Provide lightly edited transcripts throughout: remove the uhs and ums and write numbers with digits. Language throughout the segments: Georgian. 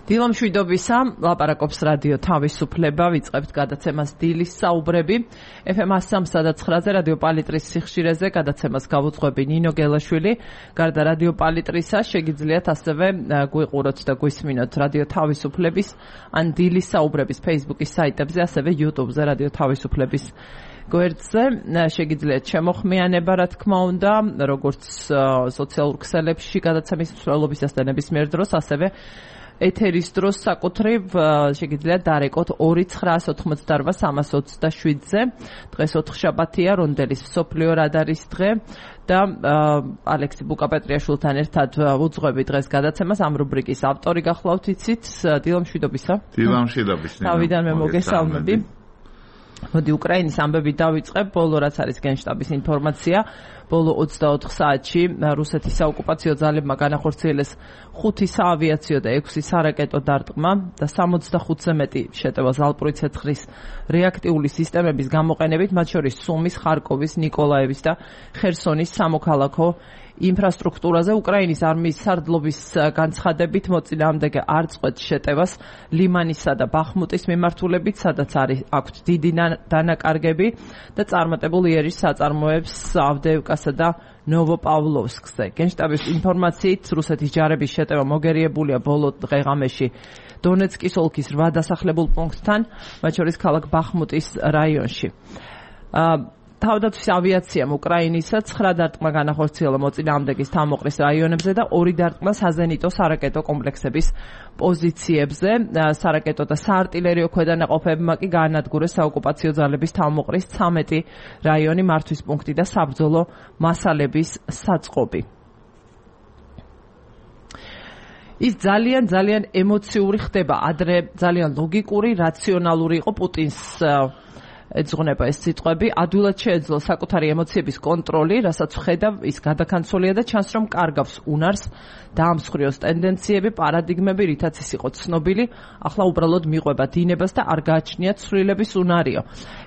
დილამშვიდობისა, ლაპარაკობს რადიო თავისუფლება, ვიწყებთ გადაცემას დილის საუბრები. FM 103.9-ზე რადიო პალიტრის სიხშირეზე გადაცემას გავუძღვები ნინო გელაშვილი. გარდა რადიო პალიტრისა შეგიძლიათ ასევე გვიყუროთ და გვისმინოთ რადიო თავისუფლების ან დილის საუბრების Facebook-ის საიტებზე, ასევე YouTube-ზე რადიო თავისუფლების გვერდზე. შეგიძლიათ შემოხმიანება, რა თქმა უნდა, როგორც სოციალურ ქსელებში გადაცემის მსვლელობისას და ნებისმიერ დროს, ასევე ეთერის დროს საკუთრივ შეგიძლიათ დარეკოთ 2988327-ზე. დღეს ოთხშაბათია, რონდელის მსოფლიო რადარის დღე და ალექსი ბუკაპეტრიაშვილთან ერთად ვუძღვები დღეს გადაცემას. ამ რუბრიკის ავტორი გახლავთ, იცით, დილამშვიდობისა. დილამშვიდობის. თავიდანვე მოგესალმები. მოდი უკრაინის ამბები დავიწყებ. ბოლო რაც არის გენშტაბის ინფორმაცია, ბოლო 24 საათში რუსეთის საოკუპაციო ძალებმა განახორციელეს 5 საავიაციო და 6 სარაკეტო დარტყმა და 65-ზე მეტი შეტევა ზალპური ცეცხლის რეაქტიული სისტემების გამოყენებით, მათ შორის სუმის, ხარკოვის, ნიკოლაევის და ხერსონის სამოქალაქო ინფრასტრუქტურაზე. უკრაინის არმიის სარდლობის განცხადებით მოწინააღმდეგე არ წყვეტს შეტევას ლიმანისა და ბახმუტის მიმართულებით, სადაც აქვთ დიდი დანაკარგები და წარმატებული იერიშ საწარმოებს ავდეევკასა და ნოვოპავლოვსკზე. გენშტაბის ინფორმაციით, რუსეთის ჯარების შეტევა მოგერიებულია ბოლო დღე-ღამეში დონეცკის ოლქის 8 დასახლებულ პუნქტთან, მათ შორის ქალაქ ბახმუტის რაიონში. თავდაცვის ავიაციამ უკრაინისა 9 დარტყმა განახორციელა მოწინააღმდეგის თავმოყრის რაიონებზე და 2 დარტყმა საზენიტო სარაკეტო კომპლექსების პოზიციებზე. სარაკეტო და საარტილერიო ქვედანაყოფებმა კი გაანადგურეს საოკუპაციო ძალების თავმოყრის 13 რაიონი, მართვის პუნქტი და საბრძოლო მასალების საწყობი. ის ძალიან ემოციური ხდება. ადრე ძალიან ლოგიკური, რაციონალური იყო პუტინს ეძღვნება ეს სიტყვები. ადვილად შეეძლო საკუთარი ემოციების კონტროლი, რასაც ხედავ, ის გადაქანცოლია და ჩანს, რომ კარგავს უნარს, დაამსხვრიოს ტენდენციები, პარადიგმები, რითაც ის იყო ცნობილი, ახლა უბრალოდ მიყვება დინებას და არ გააჩნია ცვლილების უნარიო.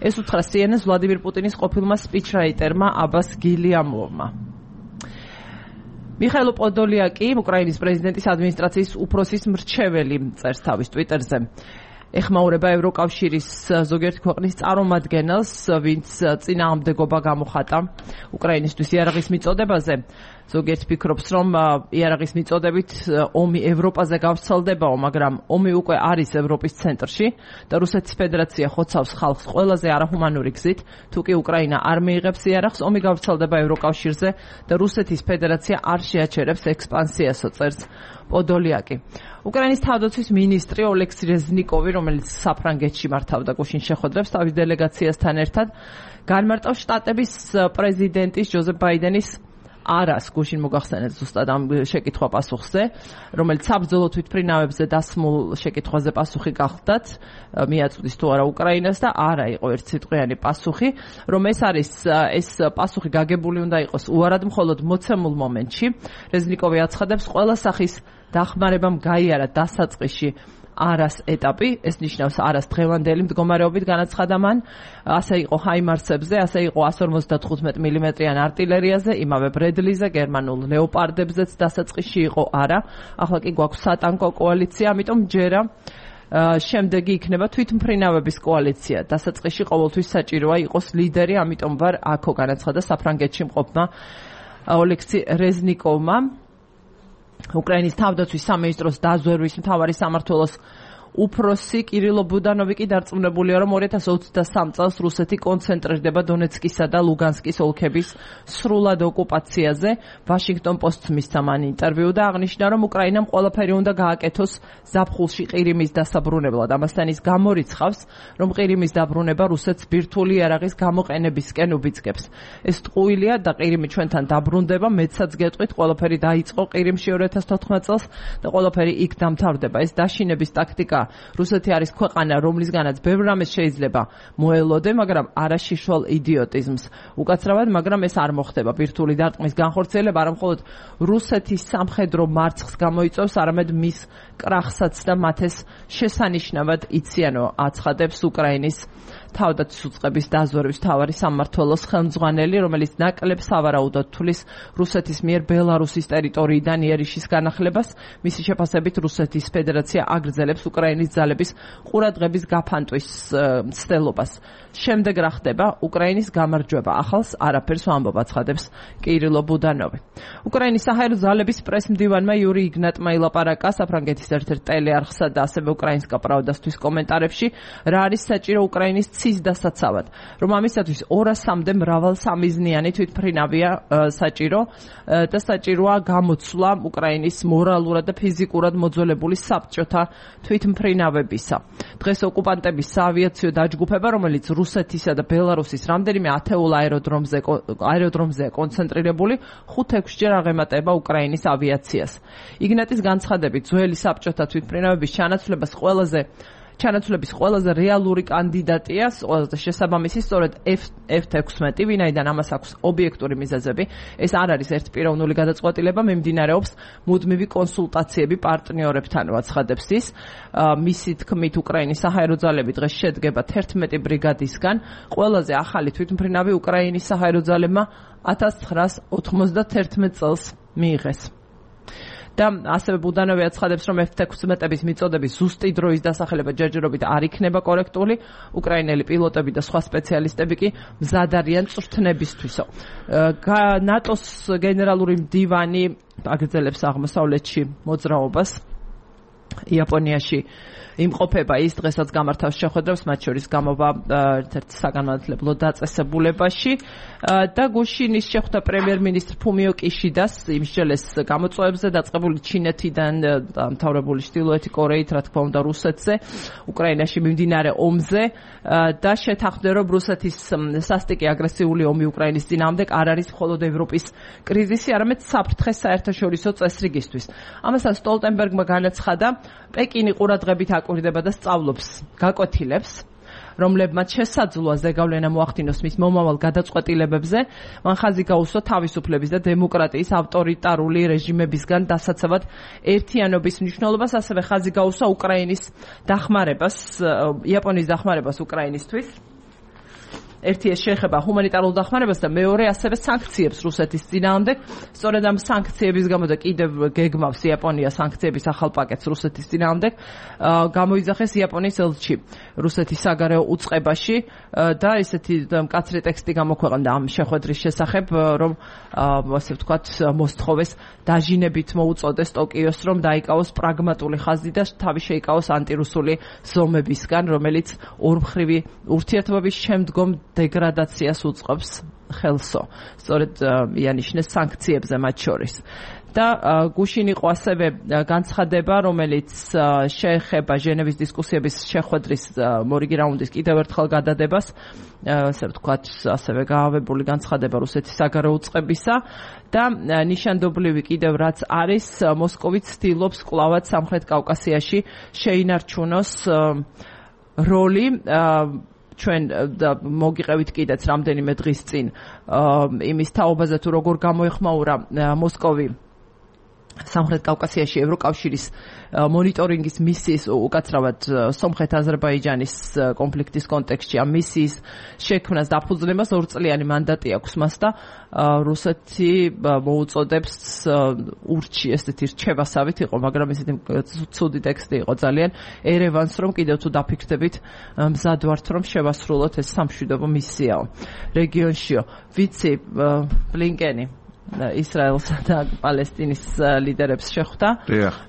ეს უთხრა CNN-ს ვლადიმირ პუტინის ყოფილმა სპიჩრაიტერმა აბას გილიამოვმა. მიხაილ პოდოლიაკი, უკრაინის პრეზიდენტის ადმინისტრაციის უფროსის მრჩეველი, წერს თავის ტვიტერზე. ეხმაურება ევროკავშირის ზოგიერთი ქვეყნის წარმომადგენელს, ვინც წინააღმდეგობა გამოხატა უკრაინისთვის იარაღის მიწოდებაზე. ზოგიერთი ფიქრობს, რომ იარაღის მიწოდებით ომი ევროპაზე გავრცელდებაო, მაგრამ ომი უკვე არის ევროპის ცენტრში და რუსეთის ფედერაცია ხოცავს ხალხს ყველაზე არაჰუმანური გზით. თუ კი უკრაინა არ მიიღებს იარაღს, ომი გავრცელდება ევროკავშირზე და რუსეთის ფედერაცია არ შეაჩერებს ექსპანსიასო, წერს პოდოლიაკი. უკრაინის თავდაცვის მინისტრი ოლექსი რეზნიკოვი, რომელიც საფრანგეთში მართავდა გუშინ შეხვედრებს თავის დელეგაციასთან ერთად, განმარტავს შტატების პრეზიდენტის ჯოზეფ ბაიდენის არას, გუშინ მოგახსენეთ ზუსტად ამ შეკითხვა პასუხზე, რომელიც საბრძოლო თვითმფრინავებზე დასმულ შეკითხვაზე პასუხი გახდათ, მიაწვდის თუ არა უკრაინას და არა იყო ერთსიტყვიანი პასუხი, რომ ეს პასუხი გაგებული უნდა იყოს უარად მხოლოდ მოცემულ მომენტში. რეზნიკოვი აცხადებს, ყველა სახის დახმარებამ გაიარა დასაწყისში არას ეტაპი, ეს ნიშნავს არას დღევანდელი მდგომარეობით განაცხადა მან, ასე იყო ჰაიმარსებზე, ასე იყო 155 მმ-იან артиლერიაზე, იმავე ბრედლიზე, გერმანულ ლეოპარდებზეც დასაწყისში იყო არა, ახლა კი გვაქვს სატანკო კოალიცია, ამიტომ ჯერა შემდეგი იქნება თვითმფრინავების კოალიცია. დასაწყისში ყოველთვის საჭიროა იყოს ლიდერი, ამიტომ ვარ აქო, განაცხადა საფრანგეთში მყოფმა ოლექსი რეზნიკოვმა. უკრაინის თავდაცვის სამინისტროს დაზვერვის მთავარი სამმართველოს უფროსი კირილო ბუდანოვი კი დარწმუნებულია, რომ 2023 წელს რუსეთი კონცენტრირდება დონეცკისა და ლუგანსკის ოლქების სრულად ოკუპაციაზე. ვაშინგტონ პოსტს მისცა მან ინტერვიუ და აღნიშნა, რომ უკრაინამ ყველაფერი უნდა გააკეთოს ზაფხულში ყირიმის დასაბრუნებლად. ამასთან ის გამორიცხავს, რომ ყირიმის დაბრუნება რუსეთს ბირთვული იარაღის გამოყენებისკენ უბიძგებს. ეს ტყუილია და ყირიმი ჩვენთან დაბრუნდება, მეცაც გეტყვით, ყველაფერი დაიწყო ყირიმში 2014 წელს და ყველაფერი იქ დამთავრდება. ეს დაშინების ტაქტიკა რუსეთი არის ქვეყანა, რომლისგანაც ბევრ რამეს შეიძლება მოელოდე, მაგრამ არა შიშველ იდიოტიზმს. უკაცრავად, მაგრამ ეს არ მოხდება. ბირთვული დარტყმის განხორციელება არა მხოლოდ რუსეთის სამხედრო მარცხს გამოიწვევს, არამედ მის კრახსაც და მათეს შესანიშნავად იციანო აცხადებს უკრაინის თავდაცვის უწყების დაზვერვის მთავარი სამმართველოს ხელმძღვანელი, რომელიც ნაკლებ სავარაუდოდ თulis რუსეთის მიერ ბელარუსის ტერიტორიიდან იერიშის განახლებას, მისი შეფასებით რუსეთის ფედერაცია აგრძელებს უკრაინის ძალების ყურადღების გაფანტვის მცდელობას. შემდეგ რა ხდება? უკრაინის გამარჯვება ახალს არაფერს ვამბობ, აცხადებს კირილო ბუდანოვი. უკრაინის საჰაერო ძალების პრესმდივანმა იური იგნატმა ილაპარაკა საფრანგეთის ერთ-ერთ ტელეარხსა და ასევე უკრაინსკა პრავდასთვის კომენტარებში, რა არის საჭირო უკრაინის ცის დასაცავად, რომ ამისათვის 200-მდე მრავალსამიზნიანი თვითმფრინავია საჭირო და საჭიროა გამოცვლა უკრაინის მორალურად და ფიზიკურად მოძველებული საბჭოთა თვითმფრინავებისა. დღეს ოკუპანტების საავიაციო დაჯგუფება, რომელიც რუსეთისა და ბელარუსის რამდენიმე ათეულ აეროდრომზეა კონცენტრირებული, 5-6ჯერ აღემატება უკრაინის ავიაციას. იგნატის განცხადებით, ძველი საბჭოთა თვითმფრინავების ჩანაცვლების ყველაზე რეალური კანდიდატია, ყველაზე შესაბამისი სწორედ F-16, ვინაიდან ამას აქვს ობიექტური მიზეზები. ეს არ არის ერთპიროვნული გადაწყვეტილება, მიმდინარეობს მუდმივი კონსულტაციები პარტნიორებთან, აცხადებს ის. მისი თქმით, უკრაინის საჰაერო ძალები დღეს შედგება 11 ბრიგადისგან. ყველაზე ახალი თვითმფრინავი უკრაინის საჰაერო ძალებმა 1991 წელს მიიღეს. და ასევე ბუდანოვი აცხადებს, რომ F-16-ების მიწოდების ზუსტი დროის დასახელება ჯერჯერობით არ იქნება კორექტული. უკრაინელი პილოტები და სხვა სპეციალისტები კი მზად არიან წვრთნებისთვისო. ნატოს გენერალური მდივანი აგრძელებს აღმოსავლეთში მოძრაობას. იაპონიაში იმყოფება ის დღესაც გამართავს შეხვედრებს, მათ შორის გამოვა ერთ-ერთ საგანმანათლებლო დაწესებულებაში და გუშინის შეხვდა პრემიერ-მინისტრ ფუმიო კიშიდას იმსჯელეს გამოწვევებზე დაწყებული ჩინეთიდან დამთავრებული ჩრდილოეთი კორეით, რა თქმა უნდა რუსეთზე, უკრაინაში მიმდინარე ომზე და შეთანხმდა, რომ რუსეთის სასტიკი აგრესიული ომი უკრაინის წინააღმდეგ არ არის მხოლოდ ევროპის კრიზისი, არამედ საფრთხე საერთაშორისო წესრიგისთვის. ამასთან სტოლტენბერგმა განაცხადა, პეკინი ყურადღებით აკვირდება და სწავლობს გაკვეთილებს, რომლებმაც შესაძლოა ზეგავლენა მოახდინოს მის მომავალ გადაწყვეტილებებზე, მან ხაზი გაუსვა თავისუფლების და დემოკრატიის ავტორიტარული რეჟიმებისგან დასაცავად ერთიანობის მნიშვნელობას, ასევე ხაზი გაუსვა უკრაინის დახმარებას, იაპონიის დახმარებას უკრაინისთვის. ერთი ეს შეეხება ჰუმანიტარულ დახმარებას და მეორე ასევე სანქციებს რუსეთის წინააღმდეგ. სწორედ ამ სანქციების გამო და კიდევ გეგმავს იაპონია სანქციების ახალ პაკეტს რუსეთის წინააღმდეგ, გამოიძახეს იაპონიის ელჩი რუსეთის საგარეო უწყებაში და ესეთი მკაცრი ტექსტი გამოქვეყნდა ამ შეხვედრის შესახებ, რომ ასე ვთქვათ, მოსთხოვეს დაჟინებით მოუწოდეს ტოკიოს, რომ დაიკავოს პრაგმატული ხაზი და თავი შეიკავოს ანტირუსული ზომებისგან, რომელიც ორმხრივი ურთიერთობების შემდგომ დეგრადაციას უწყობს ხელსო. სწორედ იანიშნეს სანქციებზე მათ შორის. და გუშინ იყო ასევე განცხადება, რომელიც შეეხება ჟენევის დისკუსიების შეხვედრის მორიგი რაუნდის კიდევ ერთხელ გადადებას, ასე ვთქვათ, ასევე გაავებული განცხადება რუსეთის საგარეო უწყებისა და ნიშანდობლივი კიდევ რაც არის, მოსკოვი ცდილობს კვლავაც სამხრეთ კავკასიაში შეინარჩუნოს როლი. ჩვენ მოგიყევით კიდეც რამდენიმე დღის წინ იმის თაობაზე, თუ როგორ გამოეხმაურა მოსკოვი სამხრეთ კავკასიაში ევროკავშირის მონიტორინგის მისიის უკაცრავად სომხეთ-აზერბაიჯანის კონფლიქტის კონტექსტში ამ მისიის შექმნას დაფუძნებას 2 წლიანი მანდატი აქვს მას და რუსეთი მოუწოდებს ურჩი ესეთი რჩევასავით იყო, მაგრამ ესეთი ცუდი ტექსტი იყო ძალიან ერევანს, რომ კიდევ თუ დაფიქრდებით მზად ვართ, რომ შევასრულოთ ეს სამშვიდობო მისიაო რეგიონშიო. ვიცი ბლინკენი ისრაელსა და პალესტინის ლიდერებს შეხვდა.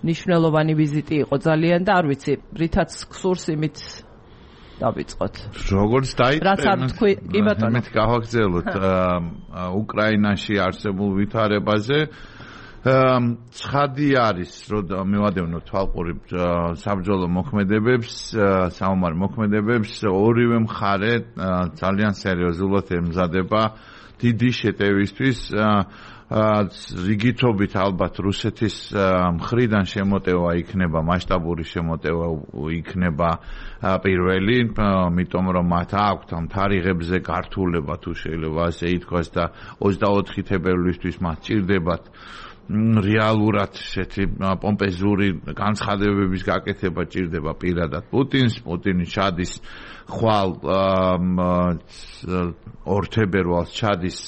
ნიშნულოვანი ვიზიტი იყო ძალიან და არ ვიცი, რითაც გსურს იმით დავიწყოთ. როგორც დაიწყე, რაც არ თქვი, კი ბატონო. მით გავაგზავნოთ უკრაინაში არსებულ ვითარებაზე. ცხადი არის, რომ მივადევნოთ თვალყური საბრძოლო მოქმედებებს, საომარ მოქმედებებს, ორივე მხარე ძალიან სერიოზულად ემზადება დიდი შეტევისთვის, რიგითობით ალბათ რუსეთის მხრიდან შემოტევა იქნება, მასშტაბური შემოტევა იქნება პირველი, იმიტომ რომ მათ აქვთ ამ თარიღებზე გართულება, თუ შეიძლება ასე ითქვას და 24 თებერვლისთვის მათ ჭირდებათ რეალურად ესეთი პომპეზური განცხადებების გაკეთება ჭირდება პირადად პუტინს. პუტინი ჩადის ხვალ 2 თებერვალს ჩადის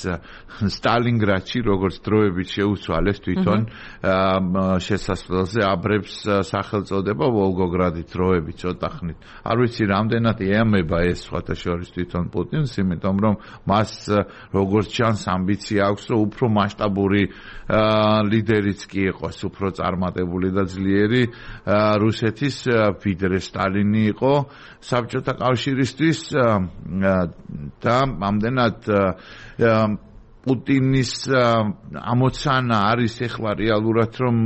სტალინგრადში, როგორც დროებით შეუცვალეს თვითონ შესასვლელზე აბრებს სახელწოდება ვოლგოგრადი დროებით ცოტა ხნით. არ ვიცი რამდენად ეამება ეს სხვათა შორის თვითონ პუტინს, იმიტომ რომ მას როგორც ჩანს ამბიცია აქვს, რომ უფრო მასშტაბური ლიდერიც კი იყოს, უფრო წარმატებული და ძლიერი რუსეთის ვიდრე სტალინი იყო საბჭოთა კავშირისთვის და ამდენად პუტინის ამოცანა არის ეხლა რეალურად რომ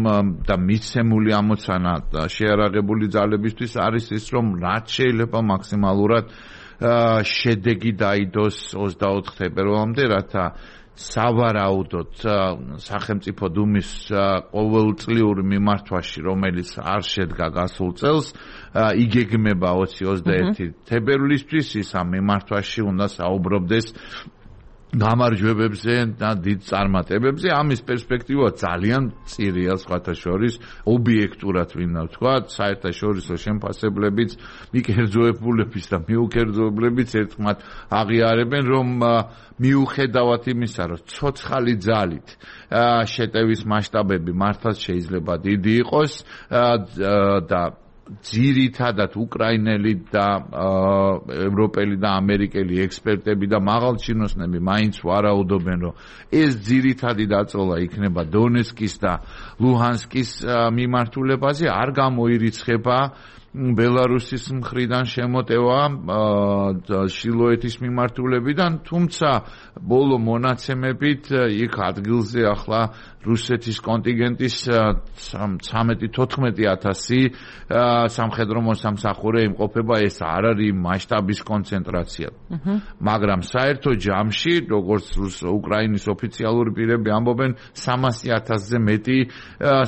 და მიცემული ამოცანა შეარაღებული ძალებისთვის არის ის რომ რაც შეიძლება მაქსიმალურად შედეგი დაიდოს 24 თებერვალამდე, რათა სავარაუდოდ სახელმწიფო დუმის ყოველწლიური მიმართვაში, რომელიც არ შედგა გასულ წელს, იგეგმება 20-21 თებერვლისთვის, ის ამ მიმართვაში უნდა საუბრობდეს გამარჯვებებზე და დიდ წარმატებებზე. ამის პერსპექტივა ძალიან მწირია სხვათა შორის, ობიექტურად ვინდა ვთქვა, საერთაშორისო შემფასებლებიც, მიკერძოებულების და მიუკერძოებლებიც ერთმანეთ აღიარებენ, რომ მიუხედავად იმისა, რომ ცოცხალი ძალით შეტევის მასშტაბები მართლაც შეიძლება დიდი იყოს და ძირითადად უკრაინელი და ევროპელი და ამერიკელი ექსპერტები და მაღალჩინოსნები მაინც ვარაუდობენ, რომ ეს ძირითადი დაწოლა იქნება დონეცკის და ლუჰანსკის მიმართულებაზე, არ გამოირიცხება ბელარუსის მხრიდან შემოტევა შილოეთის მიმართულებიდან, თუმცა ბოლო მონაცემებით იქ ადგილზე ახლა რუსეთის კონტინგენტის 13-14000 სამხედრო მოსამსახურე იმყოფება, ეს არ არის მასშტაბის კონცენტრაცია. მაგრამ საერთო ჯამში, როგორც უკრაინის ოფიციალური პირები ამბობენ, 300,000-ზე მეტი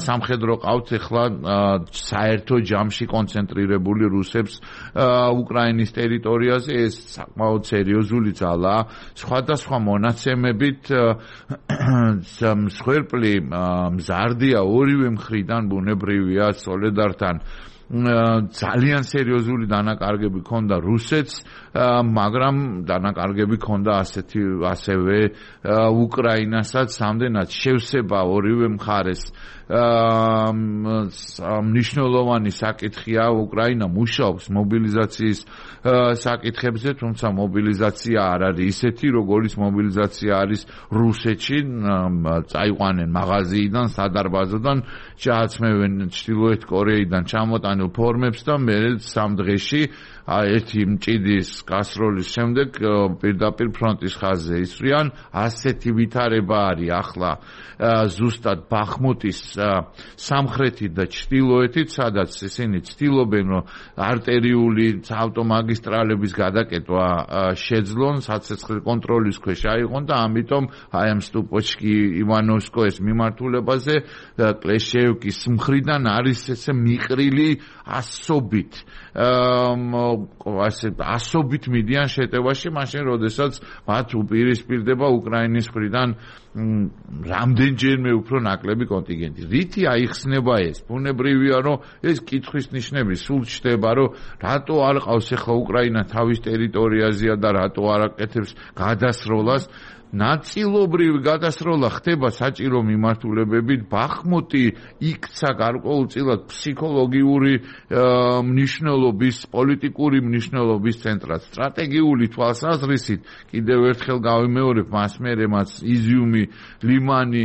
სამხედრო ყავთ ეხლა საერთო ჯამში კონცენტრირებული რუსებს უკრაინის ტერიტორიაზე. ეს საკმაოდ სერიოზული ძალაა. სხვადასხვა მონაცემებით მსხვერპლი მზარდია ორივე მხრიდან, ბუნებრივია სოლედართან ძალიან სერიოზული დანაკარგები ჰქონდა რუსეთს, მაგრამ დანაკარგები ჰქონდა ასევე უკრაინასაც, ამდენად შევსება ორივე მხარეს მნიშვნელოვანი საკითხია. უკრაინა მუშაობს მობილიზაციის საკითხებზე, თუმცა მობილიზაცია არ არის ისეთი, როგორიც მობილიზაცია არის რუსეთში. წაიყვანენ მაღაზიიდან, სადარბაზოდან, ჩააცმევენ ჩრდილოეთ კორეიდან ჩამოტანილ ფორმებს და მე 3 დღეში ერთი მჭიდის გასროლის შემდეგ პირდაპირ ფრონტის ხაზზე ისვრიან. ასეთი ვითარება არის ახლა ზუსტად ბახმუტის სამხრეთით და ჩრდილოეთით, სადაც ისინი ცდილობენ, რომ არტერიული ავტომაგისტრალების გადაკეტვა შეძლონ, საცეცხლე კონტროლის ქვეშ აიღონ და ამიტომ აი ამ სტუპოჩკი ივანოვსკოეს მიმართულებაზე კლეშეევკის მხრიდან არის ესე მიყრილი ასობით მიდიან შეტევაში, მაშინ როდესაც მათ უპირისპირდება უკრაინის მხრიდან რამდენჯერმე უფრო ნაკლები კონტინგენტი. რითი აიხსნება ეს? ბუნებრივია, რომ ეს კითხვის ნიშნები სულ ჩდება, რომ რატო არ ყავს ახლა უკრაინა თავის ტერიტორიაზეა და რატო არ აკეთებს გადასროლას. ნაწილობრივი გადასროლა ხდება საჭირო მიმართულებებით. ბახმუტი იქცა გარკვეულწილად ფსიქოლოგიური მნიშვნელობის, პოლიტიკური მნიშვნელობის ცენტრად. სტრატეგიული თვალსაზრისით კიდევ ერთხელ გავიმეორებ, მას მერე მას იზიუმი, ლიმანი,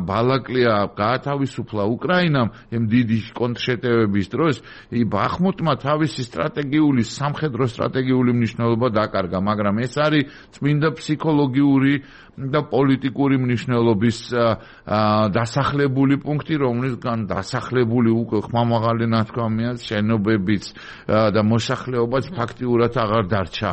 ბალაკლია გაათავისუფლა უკრაინამ იმ დიდი კონტრშეტევების დროს. ბახმუტმა თავისი სტრატეგიული, სამხედრო სტრატეგიული მნიშვნელობა დაკარგა, მაგრამ ეს არის წმინდა ფსიქოლოგიური და პოლიტიკური მნიშვნელობის დასახლებული პუნქტი, რომლისგან დასახლებული უკვე ხმამაღალი ნათქვამია, შენობებიც და მოსახლეობაც ფაქტიურად აღარ დარჩა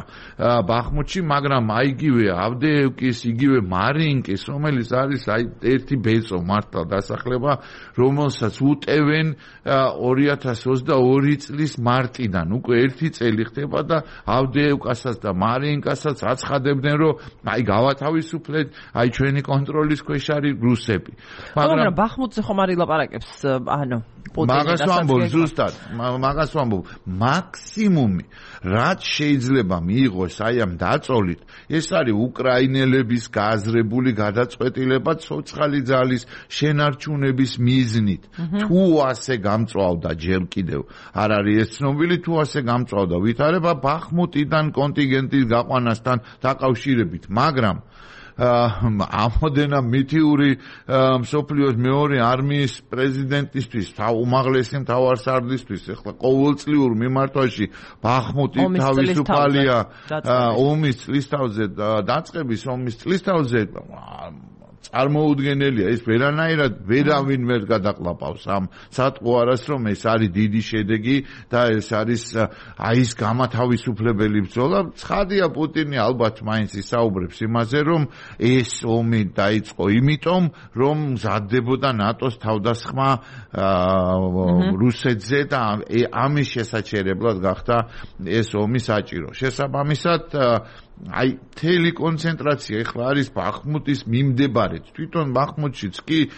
ბახმუთში, მაგრამ იგივე ავდეევკის, იგივე მარინკის, რომელიც არის ერთი ბეწო მართლა დასახლება, რომელსაც უტევენ 2022 წლის მარტიდან, უკვე ერთი წელი ხდება და ავდეევკასაც და მარინკასაც აცხადებდნენ, რომ გავათავისუფლეთ, ჩვენი კონტროლის ქვეშ არის რუსები. მაგრამ ბახმუთზე ხომ არ ილაპარაკებს, მაგას ვამბობ ზუსტად, მაგას ვამბობ, მაქსიმუმი რაც შეიძლება მიიღოს ამ დაწოლით, ეს არის უკრაინელების გააზრებული გადაწყვეტილება ცოცხალი ძალის შენარჩუნების მიზნით. თუ ასე გამწვავდა ჯერ კიდევ არ არის ეს ცნობილი, თუ ასე გამწვავდა ვითარება ბახმუტიდან კონტინგენტის გაყვანასთან დაკავშირებით, მაგრამ ამოდენა მითიური მსოფლიოს მეორე არმიის პრეზიდენტისთვის, უმაღლესი მთავარსარდლისთვის, ახლა ყოველწლიურ მიმართვაში ბახმუტი თავისუფალია ომის წლისთავზე დაწყების ომის წლისთავზე წარმოუდგენელია, ეს ვერანაირად ვერავინ ვერ გადაყლაპავს ამ სატყო არას, რომ ეს არის დიდი შედეგი და ეს არის ის გამათავისუფლებელი ბრძოლა. ცხადია, პუტინი ალბათ მაინც ისაუბრებს იმაზე, რომ ეს ომი დაიწყო იმიტომ, რომ მზადდებოდა ნატოს თავდასხმა რუსეთზე და ამის შესაჩერებლად გახდა ეს ომი საჭირო. შესაბამისად მთელი კონცენტრაცია ეხლა არის ბახმუტის მიმდებარედ. თვითონ ბახმუტშიც კი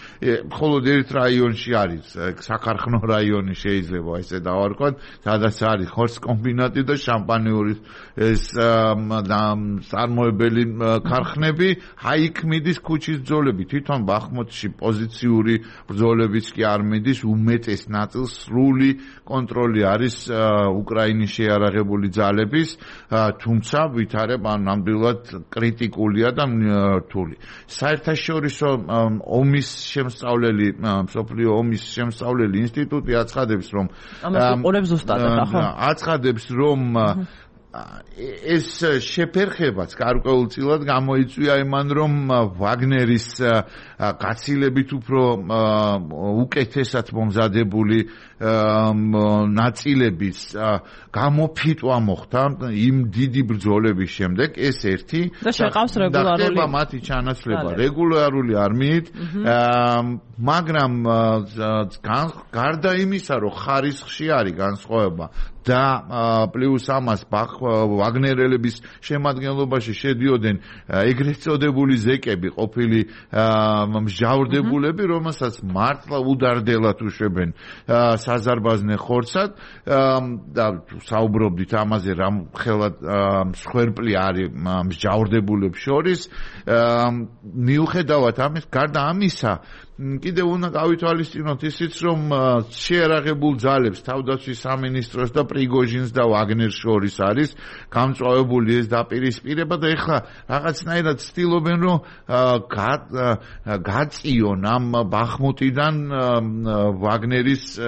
მხოლოდ ერთ რაიონში არის, საქარხნო რაიონი შეიძლება ესე დავარქვათ, სადაც არის ხორცკომბინატი და შამპანიურის ეს წარმოებელი ქარხნები, იქ მიდის ქუჩის ბრძოლები. თვითონ ბახმუტში პოზიციური ბრძოლებიც კი არ მიდის, უმეტეს ნაწილს სრული კონტროლი არის უკრაინის შეიარაღებული ძალების, თუმცა ვითარება ნამდვილად კრიტიკულია და რთული. საერთაშორისო ომის შემსწავლელი, მსოფლიო ომის შემსწავლელი ინსტიტუტი აცხადებს, რომ აცხადებს, რომ ეს შეფერხებაც გარკვეულწილად გამოიწვია იმან, რომ ვაგნერის გაცილებით უფრო უკეთესად მომზადებული ნაწილების გამოფიტვა მოხდა იმ დიდი ბრძოლების შემდეგ, ეს ერთი და შეყავს რეგულარული მათი ჩანაცვლება რეგულარული არმიით, მაგრამ გარდა იმისა, რომ ხარისხში არის განსხვავება და პლუს ამას ვაგნერელების შემადგენლობაში შედიოდნენ ეგრეთ წოდებული ზეკები, ყოფილი მსჯავრდებულები, რომელსაც მართლა უდარდელად უშვებენ საზარბაზნე ხორცად და საუბრობდით ამაზე, რამ ხელად მსხვერპლი არის მსჯავრდებულებს შორის. მიუხედავად ამის, გარდა ამისა, კიდევ უნდა გავითვალისწინოთ ისიც, რომ შეიარაღებულ ძალებს თავდაცვის სამინისტროს და პრიგოჟინს და ვაგნერს შორის არის გამწვავებული ეს დაპირისპირება და ეხლა რაღაცნაირად ცდილობენ, რომ გაწიონ ამ ბახმუტიდან ვაგნერის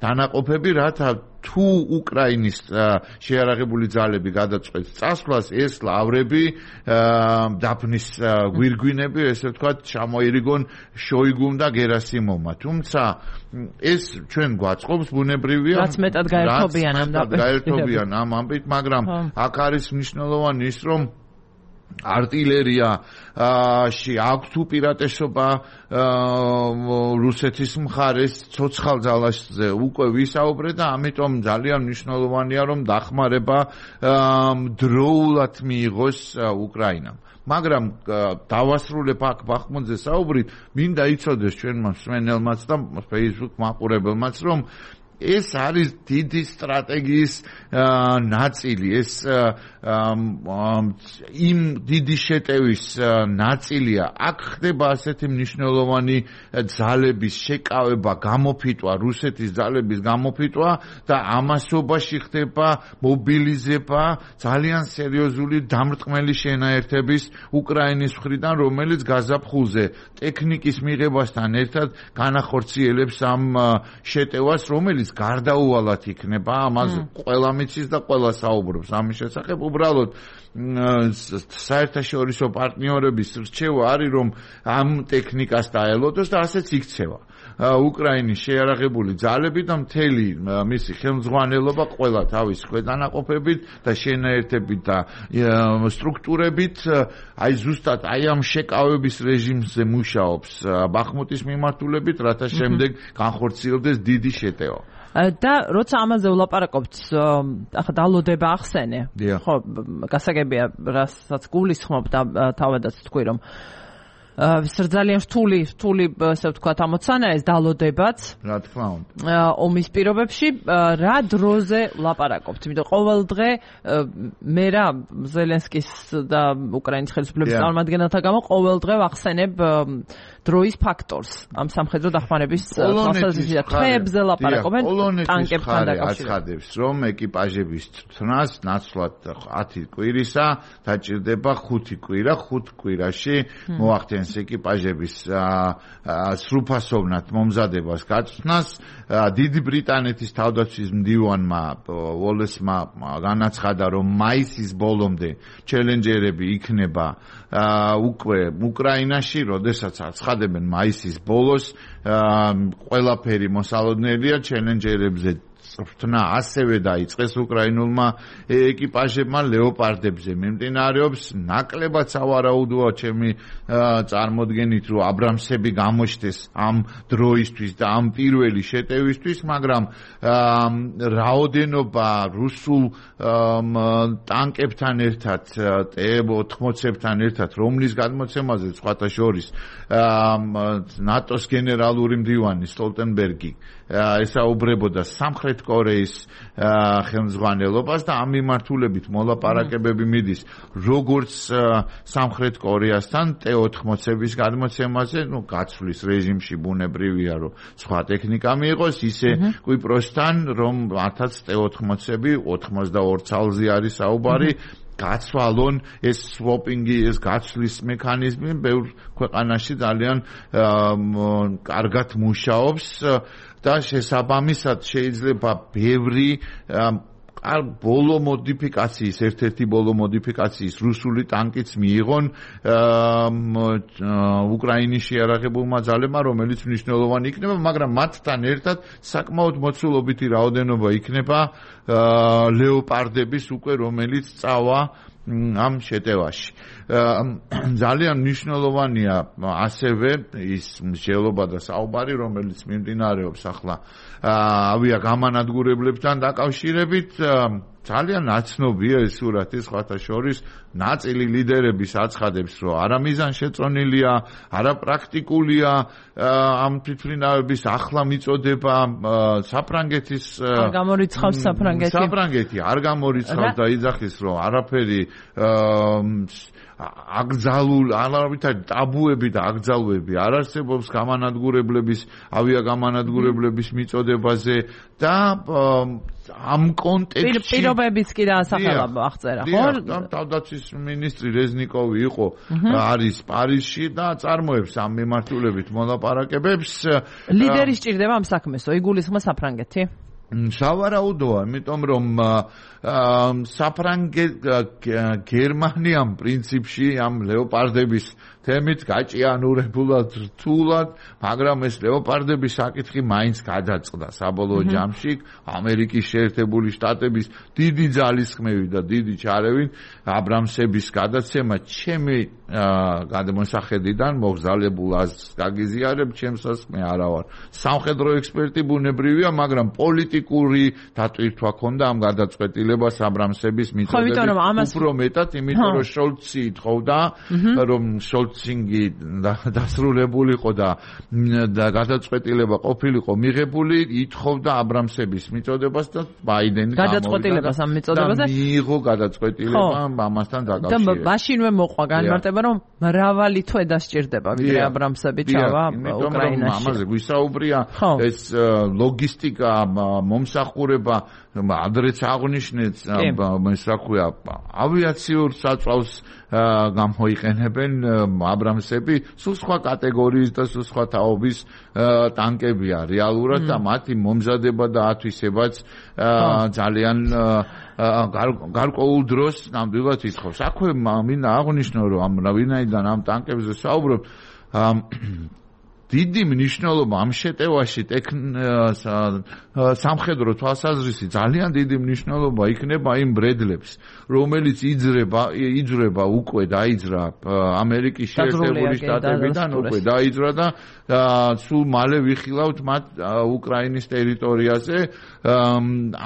დანაყოფები, რათა თუ უკრაინის შეიარაღებული ძალები გადაწყვეტს წასვლას, ეს ლავრები დაფნის გვირგვინები, ესე ვთქვათ, ჩამოირიგონ შოიგუმ და გერასიმოვმა. თუმცა ეს ჩვენ გვაწყობს ბუნებრივია, რაც მეტად გაერთობიან ამ ამბით, მაგრამ აქ არის მნიშვნელოვანი ის, რომ артиллерияში აქვს უპირატესობა რუსეთის მხარეს ცოცხალ ძალაზე უკვე ვისაუბრეთ და ამიტომ ძალიან მნიშვნელოვანია, რომ დახმარება დროულად მიიღოს უკრაინამ. მაგრამ დავასრულებ აქ ბახმუტზე საუბრით, მინდა იცოდეს ჩვენმა მსმენელმაც და Facebook მაყურებელმაც, რომ ეს არის დიდი სტრატეგიის ნაწილი, ეს იმ დიდი შეტევის ნაწილია. აქ ხდება ასეთი მნიშვნელოვანი ძალების შეკავება, გამოფიტვა, რუსეთის ძალების გამოფიტვა და ამასობაში ხდება მობილიზება ძალიან სერიოზული დამრტყმელი შენაერთების უკრაინის მხრიდან, რომელიც გაზაფხულზე ტექნიკის მიღებასთან ერთად განახორციელებს ამ შეტევას, რომელიც გარდაუვალად იქნება, ამაზე ყველა მიცის და ყველა საუბრობს ამის შესახებ. უბრალოდ საერთაშორისო პარტნიორების რჩევა არის, რომ ამ ტექნიკას დაელოდოს და ასეც იქცევა. უკრაინის შეიარაღებული ძალები და მთელი მისი ხელმძღვანელობა ყველა თავის ქვედანაყოფებით და შენაერთებით და სტრუქტურებით აი ზუსტად აი ამ შეკავების რეჟიმზე მუშაობს ბახმუტის მიმართულებით, რათა შემდეგ განხორციელდეს დიდი შეტევა. და როცა ამაზე ვლაპარაკობთ, ახლა დალოდება ახსენე. ხო, გასაგებია, რასაც გულისხმობ და თავადაც თქვი, რომ ძალიან რთული, ასე ვთქვათ, ამოცანაა ეს დალოდებაც. რა თქმა უნდა. ომის პირობებში რა დროზე ვლაპარაკობთ? იმიტომ ყოველ დღე მე რა ზელენსკის და უკრაინის ხელისუფლების წარმომადგენელთა გამო ყოველ დღე ვახსენებ დროის ფაქტორს ამ სამხედრო დახმარების თვალსაზრისით. თვეებზე ლაპარაკობენ ტანკებთან დაკავშირებით. რომ ეკიპაჟების წვრთნას ნაცვლად 10 კვირისა დაჭირდება 5 კვირა, 5 კვირაში მოახდენს ეკიპაჟების სრულფასოვნად მომზადებას გაწვრთნას. დიდი ბრიტანეთის თავდაცვის მდივანმა ვოლესმა განაცხადა, რომ მაისის ბოლომდე ჩელენჯერები იქნება უკვე უკრაინაში, როდესაც აცხადებენ მაისის ბოლოს ყველაფერი მოსალოდნელია ჩელენჯერებზე წვრთნა ასევე დაიწყეს უკრაინულმა ეკიპაჟებმა ლეოპარდებზე მიმდინარეობს ნაკლებად სავარაუდოა ჩემი წარმოდგენით რომ აბრამსები გამოჩნდეს ამ დროისთვის და ამ პირველი შეტევისთვის მაგრამ რაოდენობა რუსულ ტანკებთან ერთად T-80-ებთან ერთად რომლის გადმოცემაზე სხვათა შორის ნატოს გენერალური მდივანი სტოლტენბერგი ესაუბრებოდა სამხრეთ კორეის ხელმძღვანელობას და ამ მიმართულებით მოლაპარაკებები მიდის როგორც სამხრეთ კორეასთან T-80-ების გადმოცემაზე, გაცვლის რეჟიმში ბუნებრივია, რომ სხვა ტექნიკა მიიღოს, ისე კვიპროსთან, რომ მათაც T-80-ები 82 ცალზე არის საუბარი, გაცვალონ ეს სვოპინგი, ეს გაცვლის მექანიზმი ბევრ ქვეყანაში ძალიან კარგად მუშაობს და შესაბამისად შეიძლება ბევრი ბოლო მოდიფიკაციის, ერთ-ერთი ბოლო მოდიფიკაციის რუსული ტანკიც მიიღონ უკრაინის შეიარაღებულმა ძალებმა, რომელიც მნიშვნელოვანი იქნება, მაგრამ მათთან ერთად საკმაოდ მოცულობითი რაოდენობა იქნება ლეოპარდების უკვე, რომელიც წავა ამ შეტევაში. ძალიან მნიშვნელოვანია ასევე ის მსჯელობა და საუბარი, რომელიც მიმდინარეობს ახლა ავიაგამანადგურებლებთან დაკავშირებით. ძალიან ნაცნობია ეს სურათი სხვათა შორის ნაწილი ლიდერების აცხადებს, რომ არა მიზანშეწონილია, არა პრაქტიკულია ამ თვითმფრინავების ახლა მიწოდება საფრანგეთის არ გამორიცხავს საფრანგეთი არ გამორიცხავს და იძახის, რომ არაფერი არავითარი ტაბუები და აკრძალვები არ არსებობს გამანადგურებლების, ავიაგამანადგურებლების მიწოდებაზე და ამ კონტექსტში პირობებიც კი დაასახელა აღწერა, ხო? თავდაცვის მინისტრი რეზნიკოვი იყო, არის პარიზში და წარმოებს ამ მიმართულებით მოლაპარაკებებს. ლიდერი სჭირდება ამ საქმესო, იგულისხმება საფრანგეთი? სავარაუდოა, იმიტომ რომ გერმანიამ პრინციპში ამ ლეოპარდების თემით გაჭიანურებულად რთულად, მაგრამ ეს ლეოპარდების საკითხი მაინც გადაწყდა საბოლოო ჯამში ამერიკის შეერთებული შტატების დიდი ძალისხმევი და დიდი ჩარევით აბრამსების გადაცემა ჩემი გადმოსახედიდან მოგზალებულ აზრს გაგიზიარებ, ჩემსაც მე არა ვარ სამხედრო ექსპერტი ბუნებრივია, მაგრამ პოლიტიკური დატვირთვა ქონდა ამ გადაწყვეტილებას აბრამსების მიწოდებით უფრო მეტად, იმიტომ რომ შოლცი ითხოვდა, რომ შოლცინგი დასრულებულიყო და გადაწყვეტილება ყოფილიყო მიღებული, ითხოვდა აბრამსების მიწოდებას და ბაიდენი გადაწყვეტილებას ამ მიწოდებაზე და მიიღო გადაწყვეტილება ამასთან დაკავშირებით. და მაშინვე მოყვა განმარტება, რომ მრავალი თვე დასჭირდება ვიდრე აბრამსები ჩავა უკრაინაში. ამაზე გვისაუბრია ეს ლოგისტიკა მომსახურება ადრეც აღნიშნეთ რა ქვია ავიაციურ საწვავს გამოიყენებენ აბრამსები სულ სხვა კატეგორიის და სულ სხვა თაობის ტანკებია რეალურად და მათი მომზადება და ათვისებაც ძალიან გარკვეულ დროს ნამდვილად ითხოვს. აქვე მინდა აღვნიშნო რომ ვინაიდან ამ ტანკებზე საუბრობ დიდი მნიშვნელობა ამ შეტევაში სამხედრო თვალსაზრისი ძალიან დიდი მნიშვნელობა იქნება იმ ბრედლებს, რომელიც იძრება უკვე დაიძრა ამერიკის შეერთებული შტატებიდან უკვე დაიძრა და სულ მალე ვიხილავთ მათ უკრაინის ტერიტორიაზე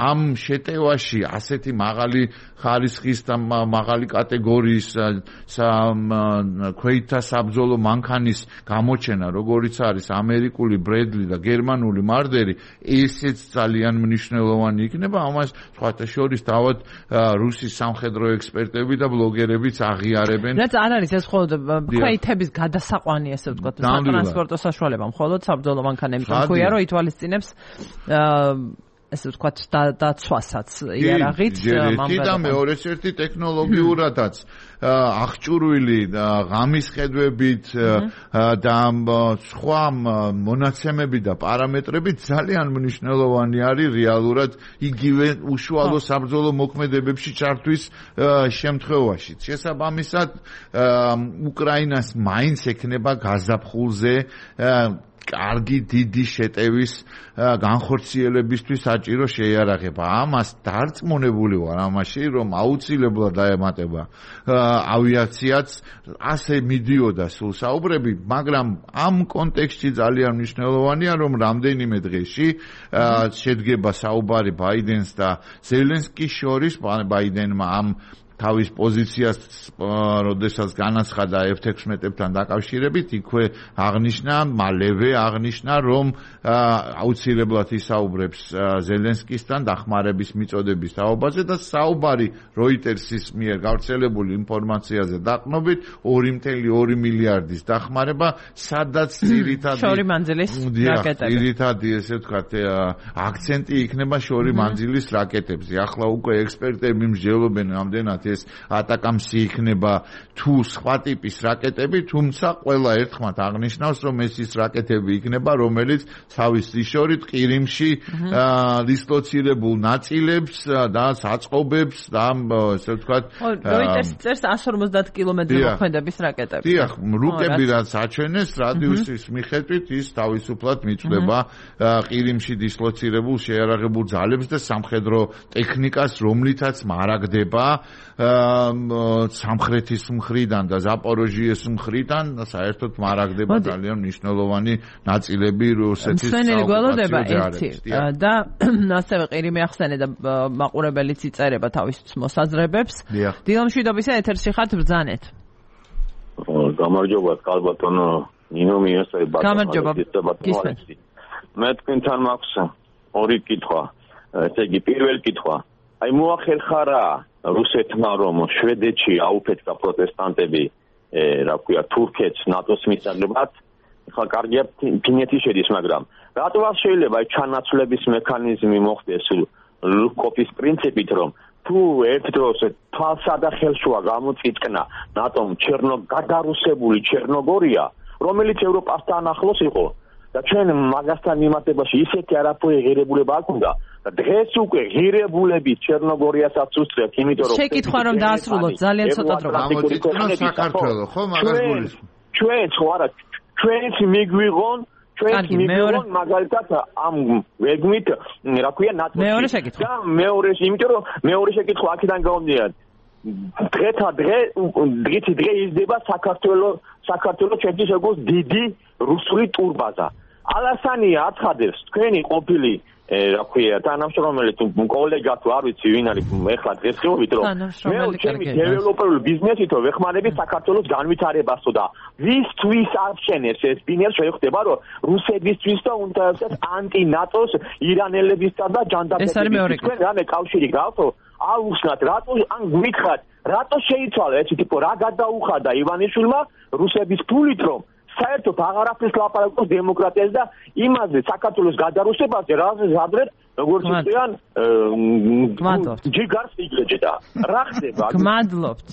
ამ შეტევაში ასეთი მაღალი ხარისხის და მაღალი კატეგორიის ქვეითთა საბრძოლო მანქანის გამოჩენა როგორც არის ამერიკული ბრედლი და გერმანული მარდერი ესეც ძალიან მნიშვნელოვანი იქნება ამას სხვათა შორის თავად რუსის სამხედრო ექსპერტები და ბლოგერებიც აღიარებენ რაც არ არის ეს მხოლოდ ქვეითების გადასაყვანი ესე ვთქვათ სატრანსპორტო საშუალება მხოლოდ საბრძოლო მანქანები თქვია რომ ითვალისწინებს ესე ვთქვათ დაცვასაც იარაღით და მეორეც ერთი ტექნოლოგიურადაც აღჭურვილი ღამის ხედვებით და სხვა მონაცემები და პარამეტრები ძალიან მნიშვნელოვანი არის რეალურად იგივე უშუალო საბრძოლო მოქმედებებში ჩართვის შემთხვევაში. შესაბამისად უკრაინას მაინც ექნება გაზაფხულზე კარგი დიდი შეტევის განხორციელებისთვის საჭირო შეიარაღება. ამას დარწმუნებული ვარ ამაში, რომ აუცილებლად დაემატება ავიაციაც ასე მიდიოდა სულ საუბრები, მაგრამ ამ კონტექსტში ძალიან მნიშვნელოვანია, რომ რამდენიმე დღეში შედგება საუბარი ბაიდენს და ზელენსკის შორის. ბაიდენმა ამ თავის პოზიციას როდესაც განაცხადა F-16-ებთან დაკავშირებით, იქვე მალევე აღნიშნა, რომ აუცილებლად ისაუბრებს ზელენსკისთან დახმარების მიწოდების თაობაზე და საუბარი Reuters-ის მიერ გავრცელებული ინფორმაციაზე დაყრდნობით 2.2 მილიარდის დახმარება, სადაც ძირითადი ესე ვთქვათ აქცენტი იქნება შორი მანძილის რაკეტებზე. ახლა უკვე ექსპერტები მსჯელობენ რამდენად ეს ატაკამსი იქნება თუ სხვა ტიპის რაკეტები, თუმცა ყველა ერთხმად აღნიშნავს, რომ ეს ის რაკეტები იქნება, რომელიც თავის შორით ყირიმში დისლოცირებულ ნაწილებს და საწყობებს და ასე ვთქვათ Reuters წერს 150 კილომეტრი მოქმედების რაკეტები. დიახ, რუკები რაც აჩვენეს რადიუსის მიხედვით ის თავისუფლად მიწვდება ყირიმში დისლოცირებულ შეიარაღებულ ძალებს და სამხედრო ტექნიკას, რომლითაც მარაგდება სამხრეთის მხრიდან და ზაპოროჟიეს მხრიდან საერთოდ მარაგდება ძალიან მნიშვნელოვანი ნაწილები რუსეთის გველოდება ერთი და ასევე ყირიმი ახსენე და მაყურებელიც იწერება თავის მოსაზრებებს. დილამშვიდობისა ეთერში ხართ ბრძანეთ. გამარჯობა კალბატონო ნინო მიესწრება გამარჯობა. მე თქვენთან მაქვს ორი კითხვა. ესე იგი პირველი კითხვა. აი მოახერხარა რუსეთმა რომ შვედეთში აუფეთქა პროტესტანტები რა ქვია თურქეთს ნატოს მისაღებად ხა კარგია ფინეთი შედის მაგრამ რატო არ შეიძლება ჩანაცვლების მექანიზმი მოხდეს ლუკოპის პრინციპით რომ თუ ერთ დროს თვალსა და ხელშუა გამოწიწკნა ნატომ გადარუსებული ჩერნოგორია რომელიც ევროპასთან ახლოს იყო და ჩვენ მაგასთან მიმართებაში ისეთი არაფერი ღირებულება არ გვქონდა და დღეს უკვე ღირებულები ჩერნოგორიასაც უსწრებთ იმიტომ რომ შეკითხვა რომ დაასრულოთ ძალიან ცოტა დრო გამოწიწკნა საქართველოს ხო მაგას გულისხმობ ჩვენ ხო არა ჩვენც მიგვიღონ მაგალითად ამ ვეგმით რა ქვია ნატოს მეორე შეკითხვა და მეორე იმიტომ რომ მეორე შეკითხვა აქედან გამომდინარე დღეს იზრდება საქართველოს ჩვენთვის როგორც დიდი რუსული ტურბაზა ალასანია აცხადებს თქვენი ყოფილი რა ქვია თანამშრომელი თუ კოლეგა თუ არ ვიცი ვინ არის ეხლა დღეს ხეობით რომ მე ჩემი დეველოპერული ბიზნესითო ვეხმარები საქართველოს განვითარებასო და ვისთვის აღჩენებს ეს ბინერ შეხვდება რომ რუსებისთვის და უნდასაც ანტი-ნატოს ირანელებისთან და ჯანდაბებისთან თქვენ რამე კავშირი გავთო აუხსნათ რატო ან გვითხრათ რატო შეიცვალა ეს ტიპო რა გადაუხადა ივანიშვილმა რუსების ფულით რომ საერთოდ აღარაფრის ლაპარაკობს დემოკრატიაზე და იმაზე საქართველოს გადარუსებაზე, რაზეც ადრე როგორც იციან ჯიგარს იგრეჯდა. რა ხდება? გმადლობთ.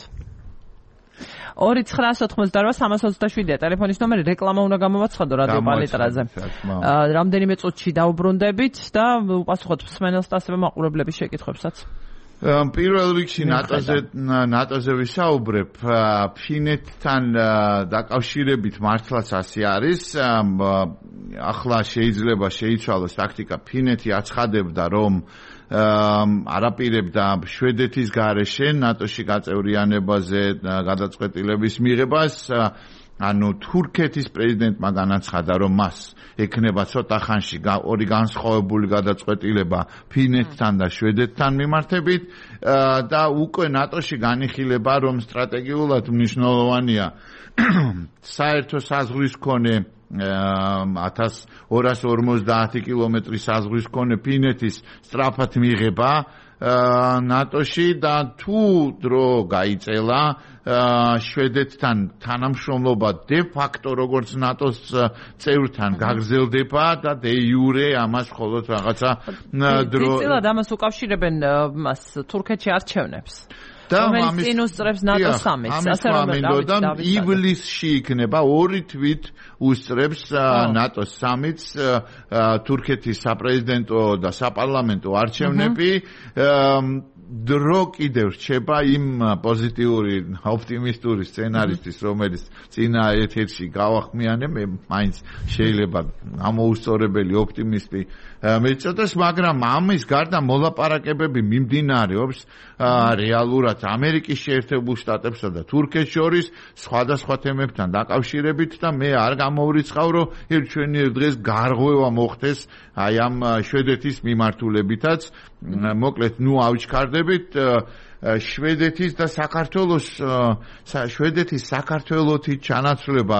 2-988-327-ა ტელეფონის ნომერი, რეკლამა უნდა გამოვაცხადო რადიო პალეტრაზე. რამდენიმე წუთში დაუბრუნდებით და უპასუხოთ მსმენელს და ასევე მაყურებლების შეკითხვებსაც. პირველ რიგში ნატოზე ვისაუბრებ, ფინეთთან დაკავშირებით მართლაც ასე არის. ახლა შეიძლება შეიცვალოს ტაქტიკა. ფინეთი აცხადებდა, რომ არაპირებდა შვედეთის გარეშე ნატოში გაწევრიანებაზე გადაწყვეტილების მიღებას. ანუ თურქეთის პრეზიდენტმა განაცხადა, რომ მას ექნება ცოტა ხანში ორი განსხვავებული გადაწყვეტილება ფინეთთან და შვედეთთან მიმართებით და უკვე ნატოში განიხილება, რომ სტრატეგიულად მნიშვნელოვანია საერთო საზღვრის მქონე 1250 კილომეტრის საზღვრის მქონე ფინეთის სწრაფად მიღება ნატოში და თუ დრო გაიწელა შვედეთთან თანამშრომლობა დე ფაქტო როგორც ნატოს წევრთან გაგრძელდება და დე იურე ამას მხოლოდ რაღაცა დრო წილად ამას უკავშირებენ მას თურქეთში არჩევნებს რომელიც წინ უსწრებს ნატოს სამიტს ასე რომ ივლისში იქნება 2 თვით უსწრებს ნატოს სამიტს თურქეთის საპრეზიდენტო და საპარლამენტო არჩევნები დრო კიდევ რჩება იმ პოზიტიური ოპტიმისტური სცენარისტის რომელიც წინა ეთერში გავახმიანე მე მაინც შეიძლება ამოუსწორებელი ოპტიმისტი მეწოდოს მაგრამ ამის გარდა მოლაპარაკებები მიმდინარეობს რეალურად ამერიკის შეერთებულ შტატებსა და თურქეთს შორის სხვადასხვა თემებთან დაკავშირებით და მე არ გამოვრიცხავ რომ ჩვენი დღეს გარღვევა მოხდეს აი ამ შვედეთის მიმართულებითაც მოკლედ ნუ ავჩქარდებით შვედეთის და საქართველოს შვედეთის საქართველოსი ჩანაცვლება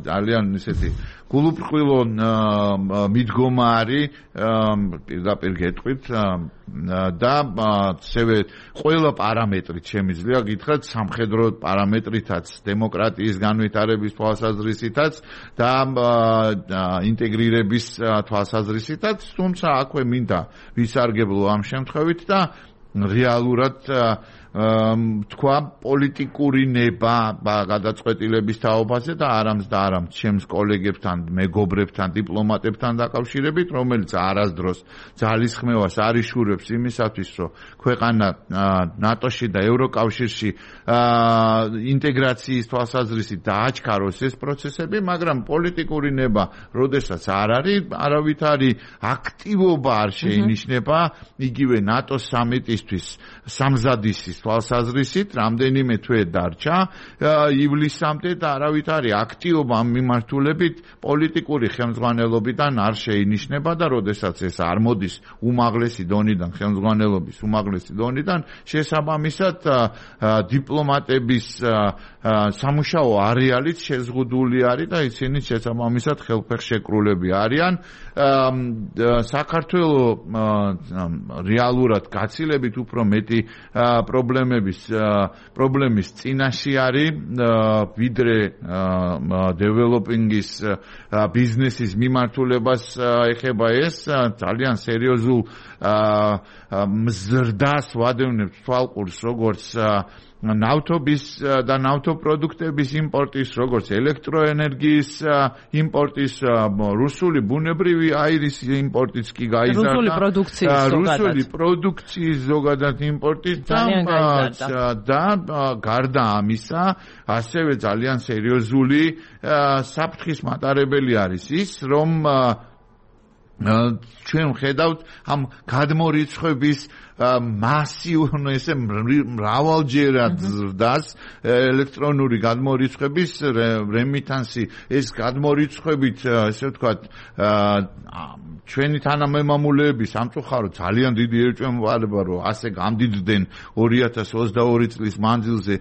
ძალიან ისეთი გულუბრყვილო მიდგომა არის პირდაპირ გეტყვით და ასევე ყველა პარამეტრით შემიძლია გითხრათ სამხედრო პარამეტრითაც დემოკრატიის განვითარების თვალსაზრისითაც და ინტეგრირების თვალსაზრისითაც თუმცა აქვე მინდა ვისარგებლო ამ შემთხვევით და რეალურად თქვა პოლიტიკური ნება გადაწყვეტილების თაობაზე და არამც და არამც ჩემს კოლეგებთან, მეგობრებთან, დიპლომატებთან დაკავშირებით, რომელიც არასდროს ძალისხმევას არიშურებს იმისათვის, რომ ქვეყანა ნატოში და ევროკავშირში ინტეგრაციის თვალსაზრისით დააჩქაროს ეს პროცესები, მაგრამ პოლიტიკური ნება, როდესაც არ არის, არავითარი აქტივობა არ შეინიშნება, იგივე ნატოს სამიტისთვის სამზადისის თვალსაზრისით რამდენიმე თვე დარჩა ივლისამდე და არავითარი აქტივობა ამ მიმართულებით პოლიტიკური ხელმძღვანელობიდან არ შეინიშნება და როდესაც ეს არ მოდის უმაღლესი დონიდან ხელმძღვანელობის უმაღლესი დონიდან შესაბამისად დიპლომატების სამუშაო არეალიც შეზღუდული არის და ისინი შესაბამისად ხელფეხშეკრულები არიან საქართველოს რეალურად გაცილებით უფრო მეტი პრობლემის წინაშე არის ვიდრე დეველოპინგის ბიზნესის მიმართულებას ეხება ეს ძალიან სერიოზულ მზრდას ვადევნებთ თვალყურს როგორც ნავთობის და ნავთობპროდუქტების იმპორტის, როგორც ელექტროენერგიის იმპორტის, რუსული ბუნებრივი აირის იმპორტიც კი გაიზარდა. რუსული პროდუქციის ზოგადად იმპორტის და გარდა ამისა, ასევე ძალიან სერიოზული საფრთხის მატარებელი არის ის, რომ ჩვენ ვხედავთ ამ გადმორიცხვების მასიურ ესე მრავალჯერად ზრდას ელექტრონული გადმორიცხვების რემიტანსი ეს გადმორიცხვებით ესე ვთქვათ ჩვენი თანამემამულეები სამწუხაროდ ძალიან დიდი ერჭვმოვალება რომ ასე გამდიდრდნენ 2022 წლის მანძილზე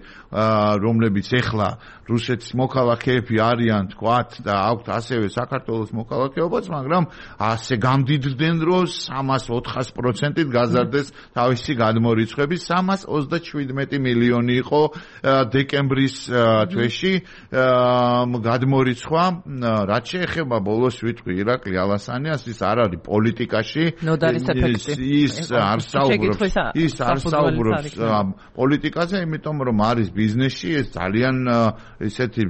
რომლებიც ეხლა რუსეთის მოქალაქეები არიან თქვათ და აქვთ ასევე საქართველოს მოქალაქეობაც მაგრამ ასე გამდიდრდნენ რომ 300-400%-ით გაზარდეს თავისი გადმორიცხვები 327 მილიონი იყო დეკემბრის თვეში გადმორიცხვა რაც შეეხება ბოლოს ვიტყვი ირაკლი ალასანიას ის არ არის პოლიტიკაში ის არ საუბრობს პოლიტიკაზე იმიტომ რომ არის ბიზნესში ეს ძალიან ესეთი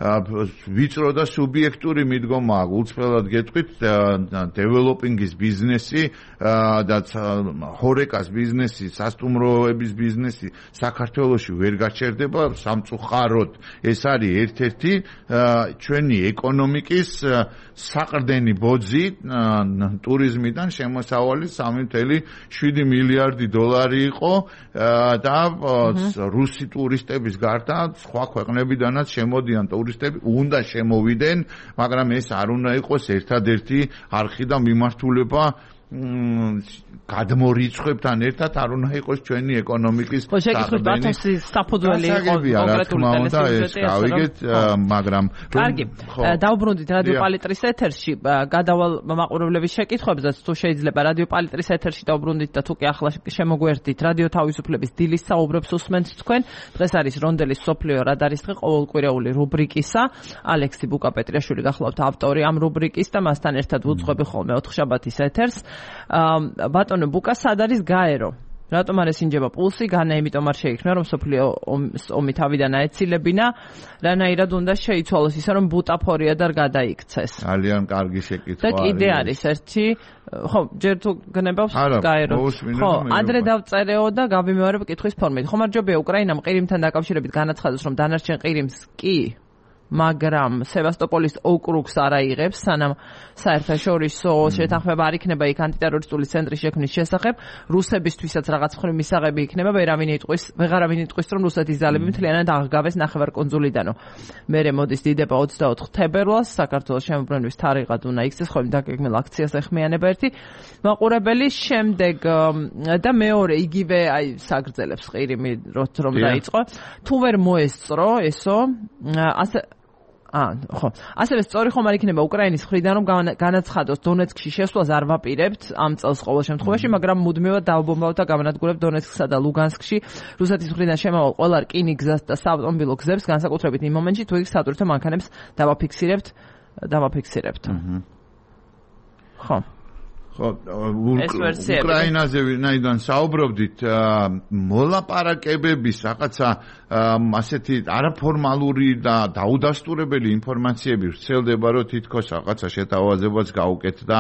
ვიწრო და სუბიექტური მიდგომაა გულწრფელად გეტყვით დეველოპინგის ბიზნესი და ჰორეკას ბიზნესი სასტუმროების ბიზნესი საქართველოში ვერ გაჩერდება სამწუხაროდ ეს არის ერთ-ერთი ჩვენი ეკონომიკის საყრდენი ბოძი ტურიზმიდან შემოსავალი 3.7 მილიარდი დოლარი იყო და რუსი ტურისტების გარდა სხვა ქვეყნებიდანაც შემოდიან ტურისტები უნდა შემოვიდნენ მაგრამ ეს არ უნდა იყოს ერთადერთი არხი და მიმართულება გადმორიცხვებთან ერთად არ უნდა იყოს ჩვენი ეკონომიკის საყრდენი საფუძველი იყო კონკრეტული ტელესიუჟეტი გავიგეთ მაგრამ კარგი დავბრუნდით რადიო პალიტრის ეთერში გადავალ მაყურებლების შეკითხვებზეც თუ შეიძლება რადიო პალიტრის ეთერში დავბრუნდით და თუ კი ახლა შემოგვერდით რადიო თავისუფლების დილის საუბრებს უსმენთ თქვენ დღეს არის რონდელის სოფლიო რადარის დღე ყოველკვირეული რუბრიკისა ალექსი ბუკაპეტრიაშვილი გახლავთ ავტორი ამ რუბრიკის და მასთან ერთად ვუძღვები ხოლმე ოთხშაბათის ეთერს ბატონო ბუკა სად არის გაერო? რატომ არ ესინჯება პულსი? განა იმიტომ არ შეიქმნა რომ სოფლიო ომი თავიდან აეცილებინა. რანაირად უნდა შეიცვალოს ისე რომ ბუტაფორია და გადაიქცეს. ძალიან კარგი შეკითხვა. და კიდე არის ერთი ხო ჯერ თუ გნებავს გაერო. ხო ადრე დავწერეო და გავიმეორებ კითხვის ფორმით. ხომარჯობია უკრაინამ ყირიმთან დაკავშირებით განაცხადოს რომ დანარჩენ ყირიმს კი მაგრამ სევასტოპოლის ოკრუგს არ აიღებს სანამ საერთაშორისო შეთანხმება არ იქნება იქ ანტიტერორისტული ცენტრის შექმნის შესახებ რუსებისთვისაც რაღაც მხრივ მისაღები იქნება ვეღარავინ იტყვის რომ რუსეთის ძალები მთლიანად აღგავეს ნახევარკუნძულიდანო მერე მოდის დიდება 24 თებერვალს საქართველოს შემოbrunვის თარიღად უნდა იქცეს ხოლმე დაგეგმილ აქციას ეხმიანება ერთი მაყურებელი შემდეგ და მეორე იგივე აი საგრძელებს ყირიმი რომ დაიწყო თუ ვერ მოესწრო ესო ხო. ასევე სწორი ხომ არ იქნება უკრაინის მხრიდან რომ განაცხადოს დონეცკში შესვლას არ ვაპირებთ ამ წელს ყოველ შემთხვევაში, მაგრამ მუდმივად დავბომბავთ და გამანადგურებთ დონეცკსა და ლუგანსკში რუსეთის მხრიდან შემავალ ყველა რკინიგ გზას და საავტომობილო გზებს, განსაკუთრებით იმ მომენტში, თუ იქ სატვირთო მანქანებს დავაფიქსირებთ. ხო. ხო, უკრაინაზე ვინაიდან საუბრობდით, მოლაპარაკებების რაღაცა ასეთი არაფორმალური და დაუდასტურებელი ინფორმაციები ვრცელდება, რომ თითქოს რაღაცა შეთავაზებაც გაუკეთდა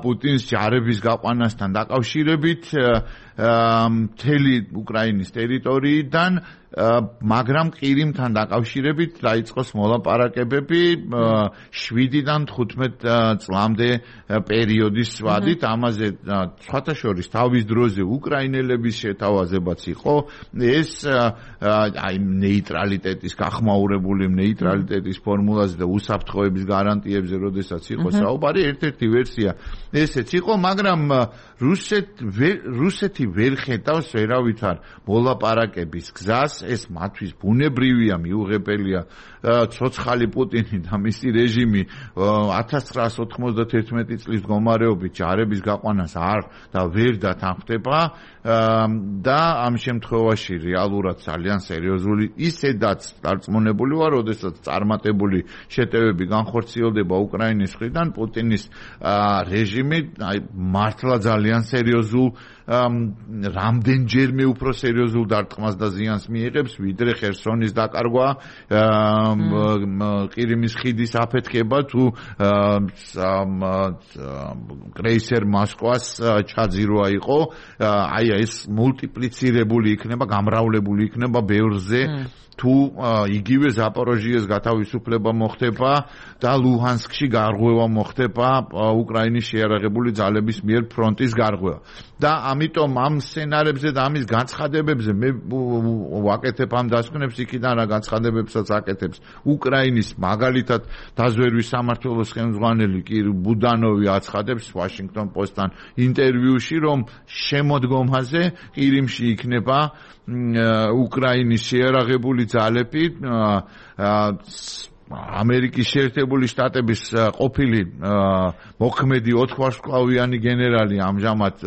პუტინის ჯარების გაყვანასთან დაკავშირებით მთელი უკრაინის ტერიტორიიდან, მაგრამ ყირიმთან დაკავშირებით დაიწყოს მოლაპარაკებები 7-დან 15 წლამდე პერიოდის ვადით, ამაზე სხვათა შორის თავის დროზე უკრაინელების შეთავაზებაც იყო, ეს აი ნეიტრალიტეტის გახმაურებული ნეიტრალიტეტის ფორმულაზე და უსაფრთხოების გარანტიებზე, როდესაც იყო საუბარი, ერთ-ერთი ვერსია ესეც იყო, მაგრამ რუსეთი ვერ ხედავს ვერავითარ მოლაპარაკების გზას, ეს მათთვის ბუნებრივია, მიუღებელია, ცოცხალი პუტინი და მისი რეჟიმი 1991 წლის მდგომარეობით ჯარების გაყვანას არ და ვერ დათანხმდება და ამ შემთხვევაში რეალურად ძალიან სერიოზული ისედაც დარწმუნებული ვარ, როდესაც წარმატებული შეტევები განხორციელდება უკრაინის მხრიდან, პუტინის რეჟიმი მართლა ძალიან სერიოზულ რამდენჯერმე უფრო სერიოზულ დარტყმას და ზიანს მიიღებს, ვიდრე ხერსონის დაკარგვა, ყირიმის ხიდის აფეთქება თუ კრეისერ მოსკვას ჩაძირვა იყო, აი ეს მულტიპლიცირებული იქნება, გამრავლებული იქნება ბევრზე თუ იგივე ზაპოროჟიეს გათავისუფლება მოხდება და ლუჰანსკში გარღვევა მოხდება უკრაინის შეიარაღებული ძალების მიერ ფრონტის გარღვევა. და ამიტომ ამ სცენარებზე და ამის განცხადებებზე მე ვაკეთებ ამ დასკვნებს, იქიდან რა განცხადებებსაც აკეთებს უკრაინის მაგალითად დაზვერვის სამმართველოს ხელმძღვანელი ბუდანოვი აცხადებს Washington Post-თან ინტერვიუში, რომ შემოდგომაზე ყირიმში იქნება უკრაინის შეიარაღებული ძალები ამერიკის შეერთებული შტატების ყოფილი მოქმედი 4 ვარსკვლავიანი გენერალი ამჟამად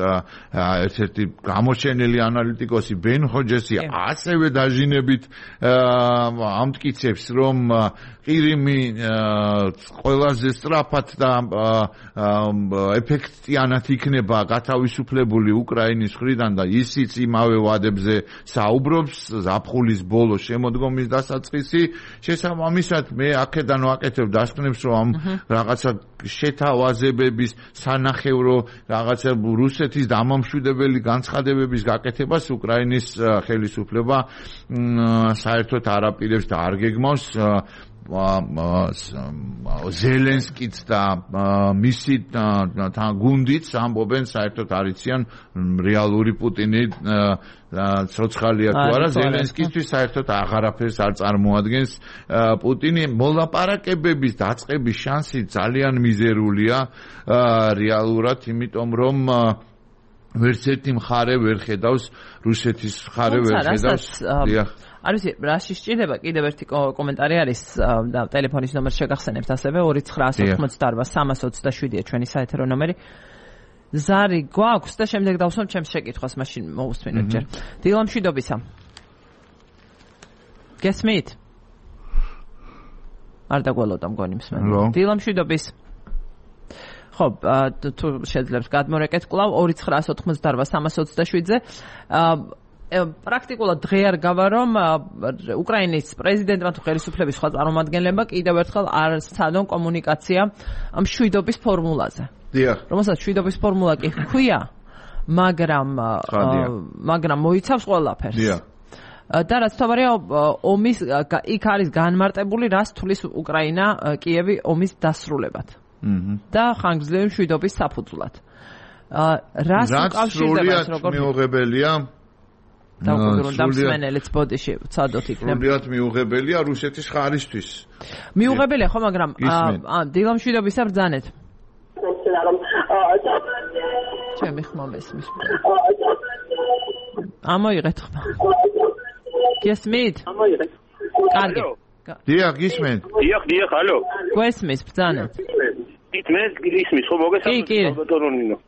ერთ-ერთი გამოჩენილი ანალიტიკოსი ბენ ჰოჯესი ასევე დაჟინებით ამტკიცებს, რომ ყირიმი ყველაზე სწრაფად და ეფექტიანად იქნება გათავისუფლებული უკრაინის მხრიდან და ისიც იმავე ვადებზე საუბრობს ზაფხულის ბოლო შემოდგომის დასაწყისი. შესაბამისად მე აქედან ვაკეთებ დასკვნებს, რომ ამ რაღაცა შეთავაზებების სანახევრო რაღაცა რუსეთის დამამშვიდებელი განცხადებების გაკეთებას უკრაინის ხელისუფლება საერთოდ არ აპირებს და არ გეგმავს. ზელენსკიც და მისი გუნდიც ამბობენ საერთოდ არიციან რეალური პუტინი ცოცხალია თუ არა. ზელენსკისთვის საერთოდ აღარაფერს არ წარმოადგენს პუტინი. მოლაპარაკებების დაწყების შანსი ძალიან მიზერულია რეალურად, იმიტომ რომ ვერც ერთი მხარე ვერ ხედავს რუსეთის მხარე ვერ ხედავს. არ ვიცი, რაში სჭირდება კიდევ ერთი კომენტარი არის და ტელეფონის ნომერს შეგახსენებთ ასევე 2988327-ია ჩვენი საეთერო ნომერი. ზარი გვაქვს და შემდეგ დავსვამ ჩემს შეკითხვას, მაშინ მოусმინოთ ჯერ. დილა მშვიდობისა. გესმით? არ დაგვალოდა მგონი მსმენელი. დილა მშვიდობის. ხო, თუ შეძლებს გადმორეკეთ კვლავ 2988327-ზე. პრაქტიკულად დღე არ გავა, რომ უკრაინის პრეზიდენტმა თუ ხელისუფლების სხვა წარმომადგენლებმა კიდევ ერთხელ არ სცადონ კომუნიკაცია ამ მშვიდობის ფორმულაზე. რომელსაც მშვიდობის ფორმულა კი ჰქვია, მაგრამ მოიცავს ყველაფერს. და რაც თავარია, ომის იქ არის განმარტებული, რას თulis უკრაინა კიევი ომის დასრულებად. და ხანგრძლივი მშვიდობის საფუძვლად. რას უკავშირდება როგორ მიუღებელია დამსმენელიც ბოდიში ვცადოთ იქნება. სრულიად მიუღებელია რუსეთის ხარისთვის. მიუღებელია ხო, მაგრამ დილა მშვიდობისა ბრძანეთ. ჩემი ხმა მესმის. ამოიღეთ ხმა. გესმით? ამოიღეთ. კარგი. დიახ, გისმენთ. დიახ, ალო. გესმის, ბრძანეთ. მე გისმის, ხო მოგესალმებით ბატონო.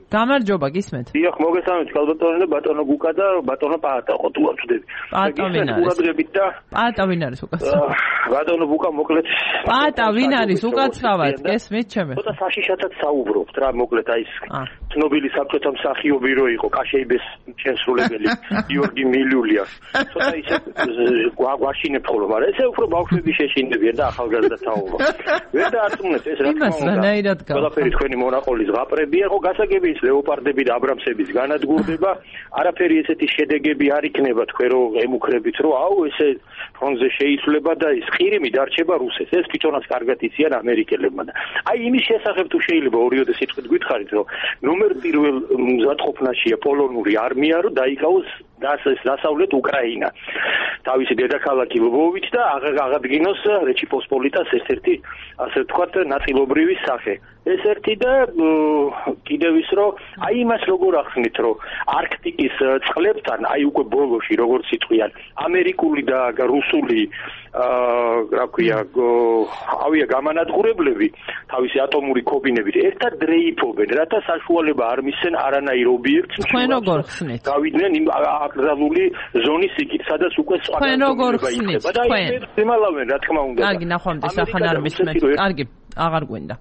გამარჯობა, გისმენთ. დიახ, მოგესალმებით ბატონო და ბატონო გუკა და ბატონო პაატა, ხო თუ არ ვწდები. პაატა ვინ არის? ყურადღებით და პაატა ვინ არის უკაცრავად? ბატონო გუკა მოკლედ. პაატა ვინ არის უკაცრავად? გესმით ჩემი? ცოტა საშიშათად საუბრობთ რა, მოკლედ აი ეს ცნობილი საბჭოთა მსახიობი რო იყო, კაშეიბეს შემსრულებელი გიორგი მილულია. ცოტა ისე გვაშინებ ხოლმე, მაგრამ ესე უფრო ბავშვები შეშინდებიან და ახალგაზრდა თაობა. ვერ დაარწმუნეთ ეს რა თქმა უნდა. ყველაფერი თქვენი მონაყოლის ზღაპრებია, ხო გასაგები ლეოპარდები და აბრამსების განადგურდება, არაფერი ესეთი შედეგები არ იქნება თქვენ რო ემუქრებით, რომ აუ ესე ფრონტზე შეიცვლება და ის ყირიმი დარჩება რუსეთს. ეს თვითონაც კარგად იციან ამერიკელებმა და აი იმის შესახებ თუ შეიძლება ორიოდე სიტყვით გითხარით, რომ ნომერ პირველ მზადყოფნაშია პოლონური არმია, რომ დაიკავოს დასავლეთ უკრაინა. თავისი დედაქალაქი ლვოვით და აღადგინოს რეჩი პოსპოლიტას ერთ-ერთი ასე ვთქვათ ნაწილობრივი სახე. ეს ერთი და კიდევ ის რომ აი იმას როგორ ახსნით, რომ არქტიკის წყლებთან აი უკვე ბოლოში როგორც იტყვიან ამერიკული და რუსული რა ქვია ავია გამანადგურებლები თავისი ატომური კობინებით ერთად დრეიფობენ, რათა საშუალება არ მისცენ არანაირ ობიექტს. თქვენ როგორ ხსნით? გავიდნენ იმ აკრძალული ზონის იქით, სადაც უკვე სხვა თქვენ როგორ ხსნით? თქვენ იმალავენ რა თქმა უნდა. კარგი, ნახვამდის ახან არ მისმენთ. კარგი, აღარ გვინდა.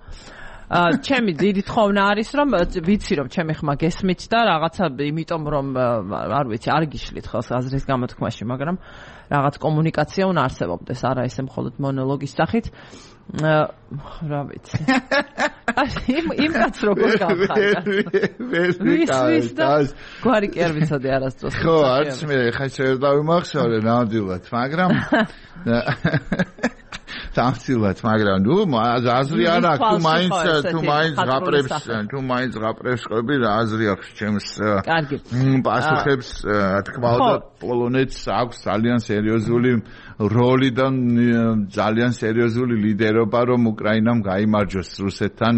ჩემი დიდი თხოვნა არის, რომ ვიცი რომ ჩემი ხმა გესმით და რაღაცა იმიტომ რომ არ ვიცი, არ გიშლით ხელს აზრის გამოთქმაში, მაგრამ რაღაც კომუნიკაცია უნდა არსებობდეს, არა ესე მხოლოდ მონოლოგის სახით. რა ვიცი. იმ კაც როგორ გავხარდა. ვის გვარი კი არ ვიცოდი არასდროს. ხო, არც მე ხა შეიძლება დავიმახსოვრე ნამდვილად, მაგრამ სამწილად, მაგრამ ნუ აზრი არ აქვს, თუ მაინც ღაპრებს ყვები რა აზრი აქვს ჩემს პასუხებს, თქმა უნდა, პოლონეთს აქვს ძალიან სერიოზული როლი და ძალიან სერიოზული ლიდერობა, რომ უკრაინამ გაიმარჯვოს რუსეთთან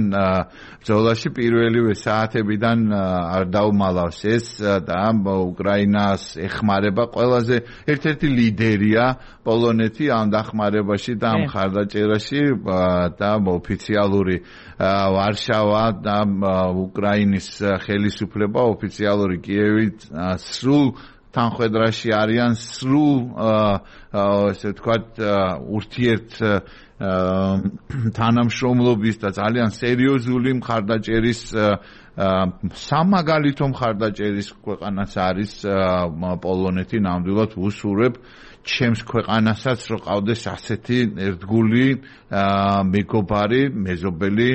ბრძოლაში პირველივე საათებიდან არ დაუმალავს ეს და უკრაინას ეხმარება ყველაზე ერთ-ერთი ლიდერია პოლონეთი ამ დახმარებაში და ამ ხარდაჭერაში და ოფიციალური ვარშავა და უკრაინის ხელისუფლება ოფიციალური კიევი სრულ თანხმედრაში არიან სრულ ესე ვთქვათ ურთიერთ თანამშრომლობის და ძალიან სერიოზული მხარდაჭერის სამაგალითო მხარდაჭერის ქვეყანაც არის პოლონეთი ნამდვილად უსურვებ ჩემს ქვეყანასაც რო ყავდეს ასეთი ერთგული მეგობარი, მეზობელი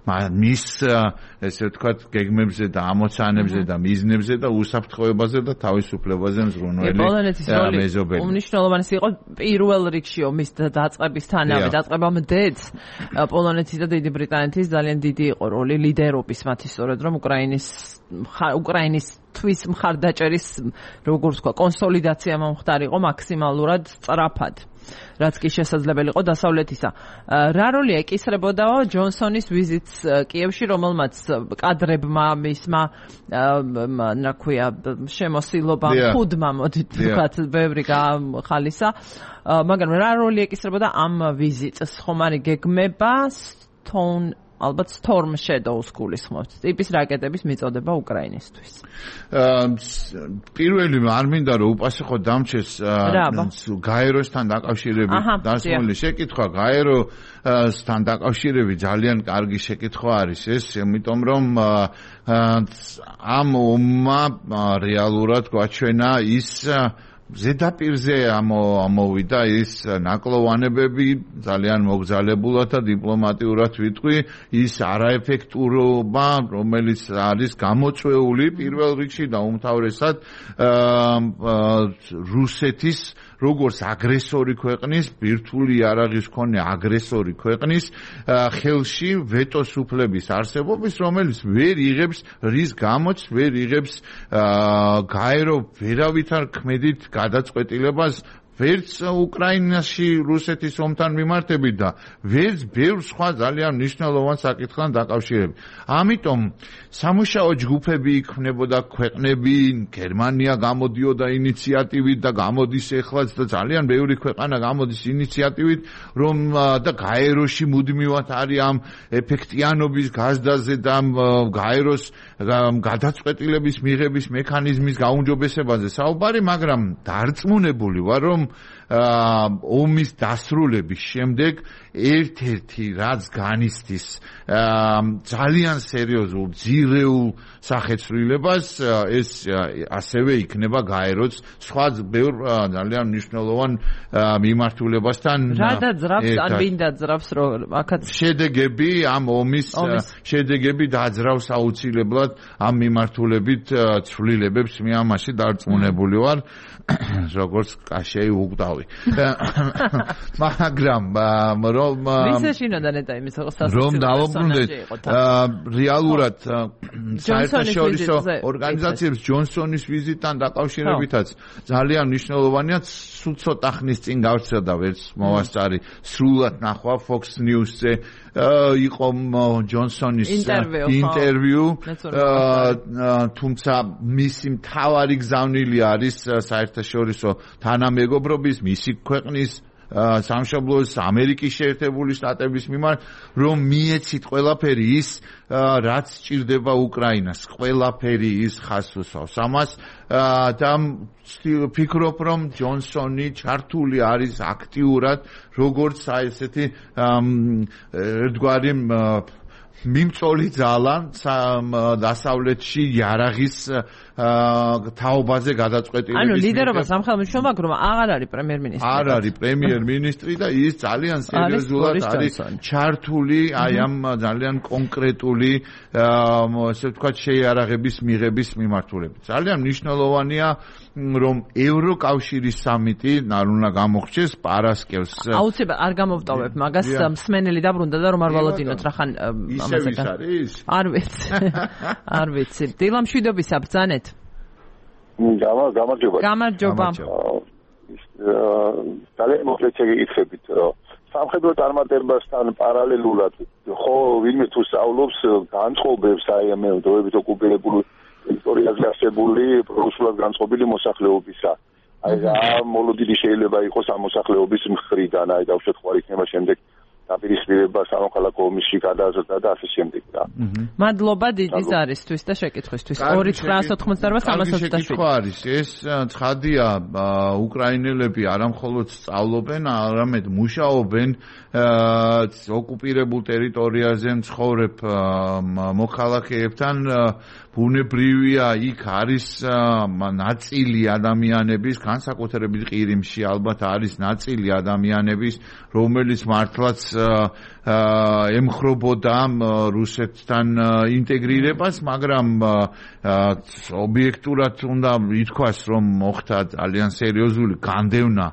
მის ესე ვთქვათ გეგმებზე და ამოცანებზე და მიზნებზე და უსაფრთხოებაზე და თავისუფლებაზე მზრუნველი მეზობელი. უმნიშვნელოვანესი იყო პირველ რიგში ომის დაწყებისთანავე დაწყებამდეც პოლონეთის და დიდი ბრიტანეთის ძალიან დიდი იყო როლი ლიდერობის მათი სწორედ რომ უკრაინისთვის მხარდაჭერის როგორც თქვა კონსოლიდაცია მომხდარიყო მაქსიმალურად სწრაფად. რაც კი შესაძლებელი იყო დასავლეთისა. რა როლი ეკისრებოდაო ჯონსონის ვიზიტს კიევში, რომელმაც კადრებმა მისმა რა ქვია შემოსილობა ხუდმა მოდით ვთქვათ ბევრი ხალისა, მაგრამ რა როლი ეკისრებოდა ამ ვიზიტს? ხომ არის გეგმება ალბათ Storm Shadow-ს გულისხმობთ. ტიპის რაკეტების მიწოდება უკრაინისთვის. პირველი არ მინდა რომ უპასუხო დამჩეს გაეროსთან დაკავშირებით დასმული შეკითხვა. გაეროსთან დაკავშირებით ძალიან კარგი შეკითხვა არის ეს, იმიტომ რომ ამ ომმა რეალურად გვაჩვენა ის ზედაპირზე ამოვიდა ის ნაკლოვანებები ძალიან მოგზალებულად და დიპლომატიურად ვიტყვი ის არაეფექტურობა რომელიც არის გამოწვეული პირველ რიგში და უმთავრესად რუსეთის როგორც აგრესორი ქვეყნის ბირთვული იარაღის მქონე აგრესორი ქვეყნის ხელში ვეტოს უფლების არსებობის რომელიც ვერ იღებს რის გამოც ვერ იღებს გაერო ვერავით არ ქმედით გადაწყვეტილებას ვერც უკრაინაში რუსეთის ომთან მიმართებით და ვერც ბევრ სხვა ძალიან მნიშვნელოვან საკითხთან დაკავშირებით. ამიტომ სამუშაო ჯგუფები იქმნებოდა ქვეყნები, გერმანია გამოდიოდა ინიციატივით და გამოდის ეხლაც და ძალიან ბევრი ქვეყანა გამოდის ინიციატივით, რომ და გაეროში მუდმივად არის ამ ეფექტიანობის გაზდაზე და გაეროს გადაწყვეტილების მიღების მექანიზმის გაუმჯობესებაზე საუბარი, მაგრამ დარწმუნებული ვარ, რომ ომის დასრულების შემდეგ ერთ-ერთი რაც განიცდის ძალიან სერიოზულ ძირეულ სახეცვლილებას ეს ასევე იქნება გაეროს სხვა ბევრ ძალიან მნიშვნელოვან მიმართულებასთან რა დაძრავს ან ვინ დაძრავს რომ აქაც შედეგები ამ ომის შედეგები დაძრავს აუცილებლად ამ მიმართულებით ცვლილებებს მე ამაში დარწმუნებული ვარ როგორც კაშეი უგდავი მაგრამ რომ დავუბრუნდეთ რეალურად საერთაშორისო ორგანიზაციებს ჯონსონის ვიზიტთან დაკავშირებითაც ძალიან მნიშვნელოვანია სულ ცოტა ხნის წინ გავრცელდა ვერც მოვასწარი სრულად ნახვა Fox News-ზე იყო ჯონსონის ინტერვიუ თუმცა მისი მთავარი გზავნილი არის საერთაშორისო თანამეგობრობის მისი ქვეყნის სამშობლოს ამერიკის შეერთებული შტატების მიმართ რომ მიეცით ყველაფერი ის რაც სჭირდება უკრაინას ყველაფერი ის ხას უსვავს ამას და ვფიქრობ რომ ჯონსონი ჩართული არის აქტიურად როგორც ესეთი ერთგვარი მიმწოლი ძალა დასავლეთში იარაღის თაობაზე გადაწყვეტილების. ანუ ლიდერობა სამხელმოქმედო რომ აღარ არის პრემიერ-მინისტრი. არ არის პრემიერ-მინისტრი და ის ძალიან სერიოზულად არის ჩართული აი ამ ძალიან კონკრეტული ასე ვთქვათ შეიარაღების მიღების მიმართულებით. ძალიან მნიშვნელოვანია რომ ევროკავშირის სამიტი უნდა გამოხჩეს პარასკევს. აუცილებლად არ გამოვტოვებ მაგას მსმენელი დაბრუნდა და რომ არ ვალოდინოთ რახან ამაზე არის? არ ვიცი. დილამშვიდობისა ბრძანეთ. გამარჯობა. გამარჯობა. ძალიან მოკლედ შეგიკითხებით სამხედრო წარმატებასთან პარალელურად ხო ვინმე თუ სწავლობს განწყობებს აი ამ დროებით ოკუპირებული ტერიტორიაზე არსებული პროფესიულად განწყობილი მოსახლეობისა. აი ამ მოლოდინი შეიძლება იყოს ამ მოსახლეობის მხრიდან, აი დავუშვათ ხوار იქნება შემდეგ დაპირისპირება სამოქალაქო ომში გადაზრდა და ასე შემდეგ რა. მადლობა დიდი ზარისთვის და შეკითხვისთვის. 2-988-327. არის ეს ცხადია უკრაინელები არამხოლოდ სწავლობენ, არამედ მუშაობენ ოკუპირებულ ტერიტორიაზე მცხოვრებ მოქალაქეებთან ბუნებრივია იქ არის ნაწილი ადამიანების განსაკუთრებით ყირიმში ალბათ არის ნაწილი ადამიანების რომელიც მართლაც ემხრობოდა რუსეთთან ინტეგრირებას, მაგრამ ობიექტურად უნდა ითქვას, რომ მოხდა ძალიან სერიოზული განდევნა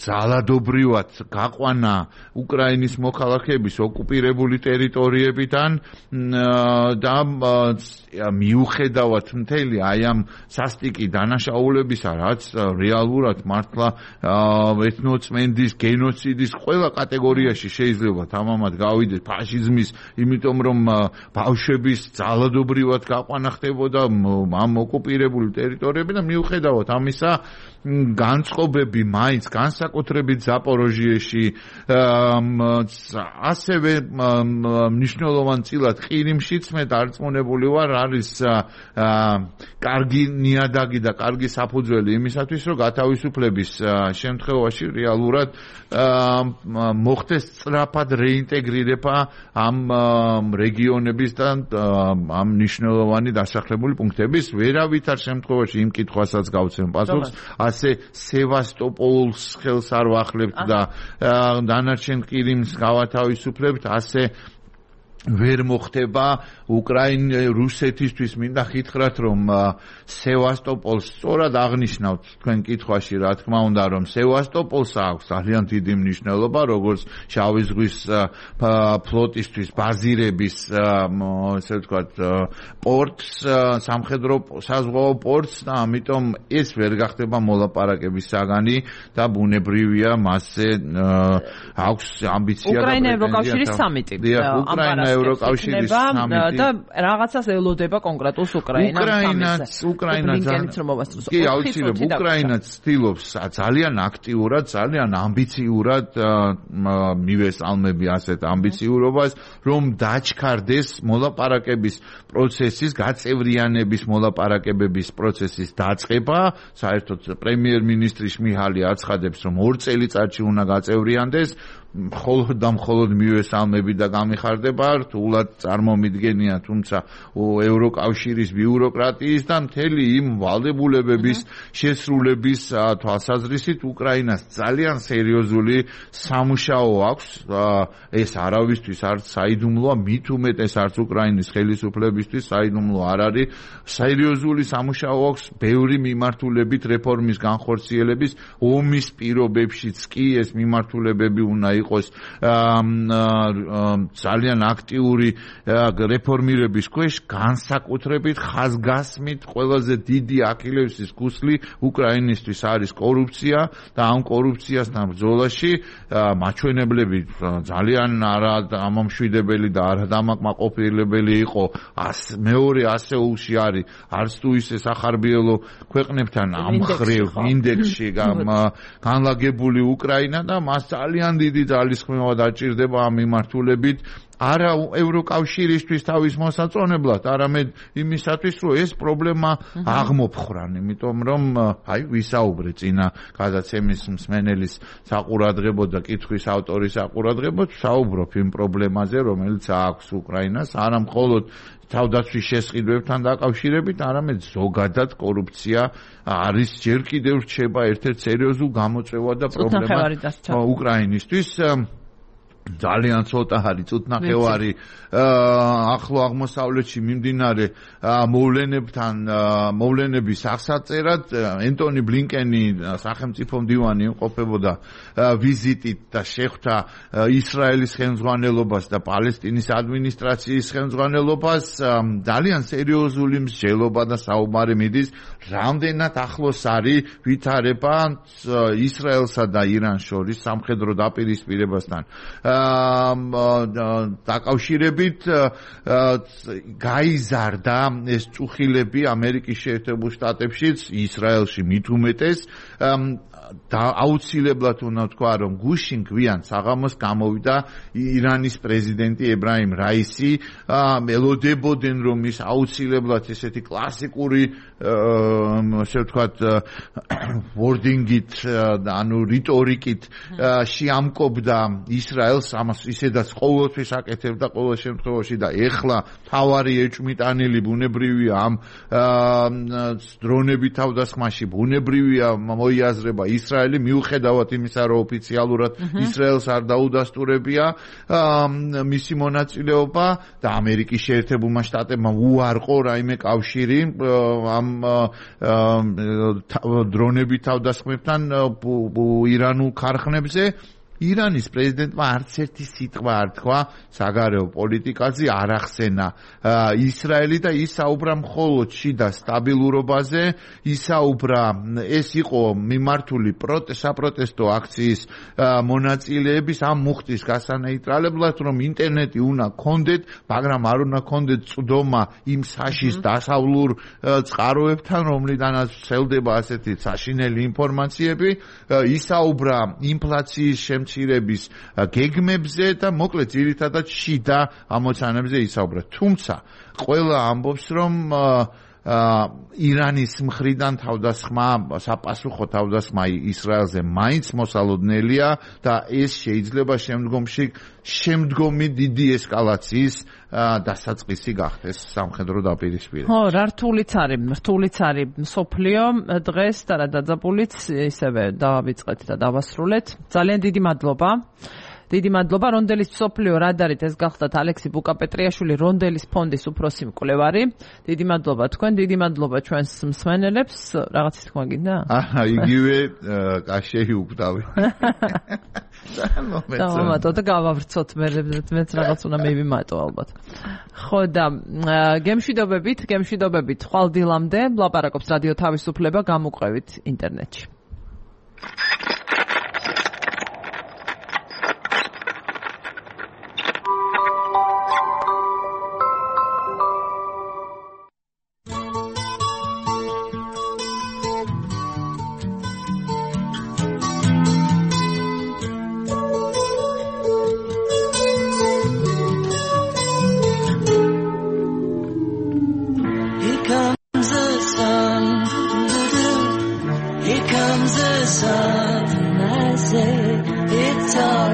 ძალადობრივად გაყვანა უკრაინის მოქალაქეების ოკუპირებული ტერიტორიებიდან და მიუხედავად მთელი აი ამ სასტიკი დანაშაულებისა, რაც რეალურად მართლა ეთნოწმენდის, გენოციდის ყველა კატეგორიაში შეიძლება თამამად გავიდეს ფაშიზმის, იმიტომ რომ ბავშვების ძალადობრივად გაყვანა ხდებოდა ამ ოკუპირებული ტერიტორიებიდან, მიუხედავად ამისა განწყობები მაინც განსაკუთრებით ზაპოროჟიეში ასევე მნიშვნელოვან წილად ყირიმშიც მე დარწმუნებული ვარ არის კარგი ნიადაგი და კარგი საფუძველი იმისათვის რომ გათავისუფლების შემთხვევაში რეალურად მოხდეს სწრაფად რეინტეგრირება ამ რეგიონების და ამ მნიშვნელოვანი დასახლებული პუნქტების ვერავითარ შემთხვევაში იმ კითხვასაც გავცემ პასუხს ასე სევასტოპოლს ხელს არ ვახლებთ და დანარჩენ ყირიმს გავათავისუფლებთ ასე ვერ მოხდება რუსეთისთვის მინდა ხითხრათ რომ სევასტოპოლს სწორად აღნიშნავთ თქვენ კითხვაში რა თქმა უნდა რომ სევასტოპოლს აქვს ძალიან დიდი მნიშვნელობა როგორც შავი ზღვის ფლოტისთვის ბაზირების ასე ვთქვათ პორტს სამხედრო საზღვაო პორტს და ამიტომ ეს ვერ გახდება მოლაპარაკების საგანი და ბუნებრივია მასზე აქვს ამბიცია და უკრაინა ევროკავშირის სამიტი უკრაინა ევროკავშირის სამიტი და რაღაცას ელოდება კონკრეტულს უკრაინაც ცდილობს ძალიან აქტიურად, ძალიან ამბიციურად მივესალმები ასეთ ამბიციურობას, რომ დაჩქარდეს მოლაპარაკების პროცესის, გაწევრიანების მოლაპარაკებების პროცესის დაწყება. საერთოდ პრემიერ-მინისტრი შმიჰალი აცხადებს, რომ 2 წელიწადში უნდა გაწევრიანდეს. მხოლოდ და მხოლოდ მივესალმები და გამიხარდება რთულად წარმომიდგენია თუმცა ევროკავშირის ბიუროკრატიის და მთელი იმ ვალდებულებების შესრულების თვალსაზრისით უკრაინას ძალიან სერიოზული სამუშაო აქვს ეს არავისთვის არც საიდუმლოა მით უმეტეს არც უკრაინის ხელისუფლებისთვის საიდუმლო არ არის სერიოზული სამუშაო აქვს ბევრი მიმართულებით რეფორმის განხორციელების ომის პირობებშიც კი ეს მიმართულებები უნდა იყოს ძალიან აქტიური რეფორმირების ქვეშ განსაკუთრებით ხაზგასმით ყველაზე დიდი აქილევსის ქუსლი უკრაინისთვის არის კორუფცია და ამ კორუფციასთან ბრძოლაში მაჩვენებლები ძალიან არადამამშვიდებელი და არადამაკმაყოფილებელი იყო მეორე ასეულში არის არც თუ ისე სახარბიელო ქვეყნებთან ამ ხრივ ინდექსში განლაგებული უკრაინა და მას ძალიან დიდი ძალისხმევა დაჭირდება ამ მიმართულებით არა ევროკავშირისთვის თავის მოსაწონებლად, არამედ იმისათვის, რომ ეს პრობლემა აღმოფხრან, იმიტომ რომ აი ვისაუბრე წინა გადაცემის მსმენელის საყურადღებოდ და კითხვის ავტორის საყურადღებოდ, ვსაუბრობ იმ პრობლემაზე, რომელიც აქვს უკრაინას, არა მხოლოდ თავდაცვის შესყიდვებთან დაკავშირებით, არამედ ზოგადად კორუფცია არის ჯერ კიდევ რჩება ერთ-ერთ სერიოზულ გამოწვევა და პრობლემა უკრაინისთვის. ძალიან ცოტა არის წუთნახევარი ახლო აღმოსავლეთში მიმდინარე მოვლენების აღსაწერად. ენტონი ბლინკენი სახელმწიფო მდივანი იმყოფებოდა ვიზიტით და შეხვდა ისრაელის ხელმძღვანელობას და პალესტინის ადმინისტრაციის ხელმძღვანელობას. ძალიან სერიოზული მსჯელობა და საუბარი მიდის, რამდენად ახლოს არის ვითარება ისრაელსა და ირანს შორის სამხედრო დაპირისპირებასთან დაკავშირებით. გაიზარდა ეს წუხილები ამერიკის შეერთებულ შტატებშიც, ისრაელში მით უმეტეს და აუცილებლად უნდა თქვა, რომ გუშინ გვიან საღამოს გამოვიდა ირანის პრეზიდენტი ებრაიმ რაისი. ელოდებოდნენ, რომ ის აუცილებლად ესეთი კლასიკური ასე ვთქვათ ვორდინგით, ანუ რიტორიკით შეამკობდა ისრაელს, ამას ისედაც ყოველთვის აკეთებდა ყოველ შემთხვევაში და ეხლა თავარი ეჭვმიტანილი ბუნებრივია ამ დრონების თავდასხმაში, ბუნებრივია მოიაზრება ისრაელი, მიუხედავად იმისა, რომ ოფიციალურად ისრაელს არ დაუდასტურებია მისი მონაწილეობა და ამერიკის შეერთებულმა შტატებმა უარყო რაიმე კავშირი ამ დრონების თავდასხმებთან ირანულ ქარხნებზე. ირანის პრეზიდენტმა არც ერთი სიტყვა არ თქვა საგარეო პოლიტიკაზე, არ ახსენა ისრაელი და ისაუბრა მხოლოდ შიდა სტაბილურობაზე, ისაუბრა ეს იყო მიმართული საპროტესტო აქციის მონაწილეების ამ მუხტის გასანეიტრალებლად, რომ ინტერნეტი უნდა გქონდეთ, მაგრამ არ უნდა გქონდეთ წვდომა იმ საშის დასავლურ წყაროებთან, რომლიდანაც ვრცელდება ასეთი საშინელი ინფორმაციები, ისაუბრა ინფლაციის მცირების გეგმებზე და მოკლედ ძირითადად შიდა ამოცანებზე ისაუბრა. თუმცა ყველა ამბობს, რომ ირანის მხრიდან საპასუხო თავდასხმა ისრაელზე მაინც მოსალოდნელია და ეს შეიძლება შემდგომი დიდი ესკალაციის დასაწყისი გახდეს სამხედრო დაპირისპირება. ხო, რა რთულიც არის მსოფლიო დღეს და რა დაძაბულიც ისევე დავიწყეთ და დავასრულეთ. ძალიან დიდი მადლობა. დიდი მადლობა რონდელის მსოფლიო რადარით ეს გახლდათ ალექსი ბუკაპეტრიაშვილი, რონდელის ფონდის უფროსი მკვლევარი. დიდი მადლობა თქვენ, დიდი მადლობა ჩვენს მსმენელებს. რაღაცის თქვა გინდა? იგივე კაშეი უკვდავი. დავამატო და გავავრცოთ, მეც რაღაც უნდა მივიმატო ალბათ. ხო და გემშვიდობებით, ხვალ დილამდე ლაპარაკობს რადიო თავისუფლება, გამოყვებით ინტერნეტში. Here comes the sun, and I say it's all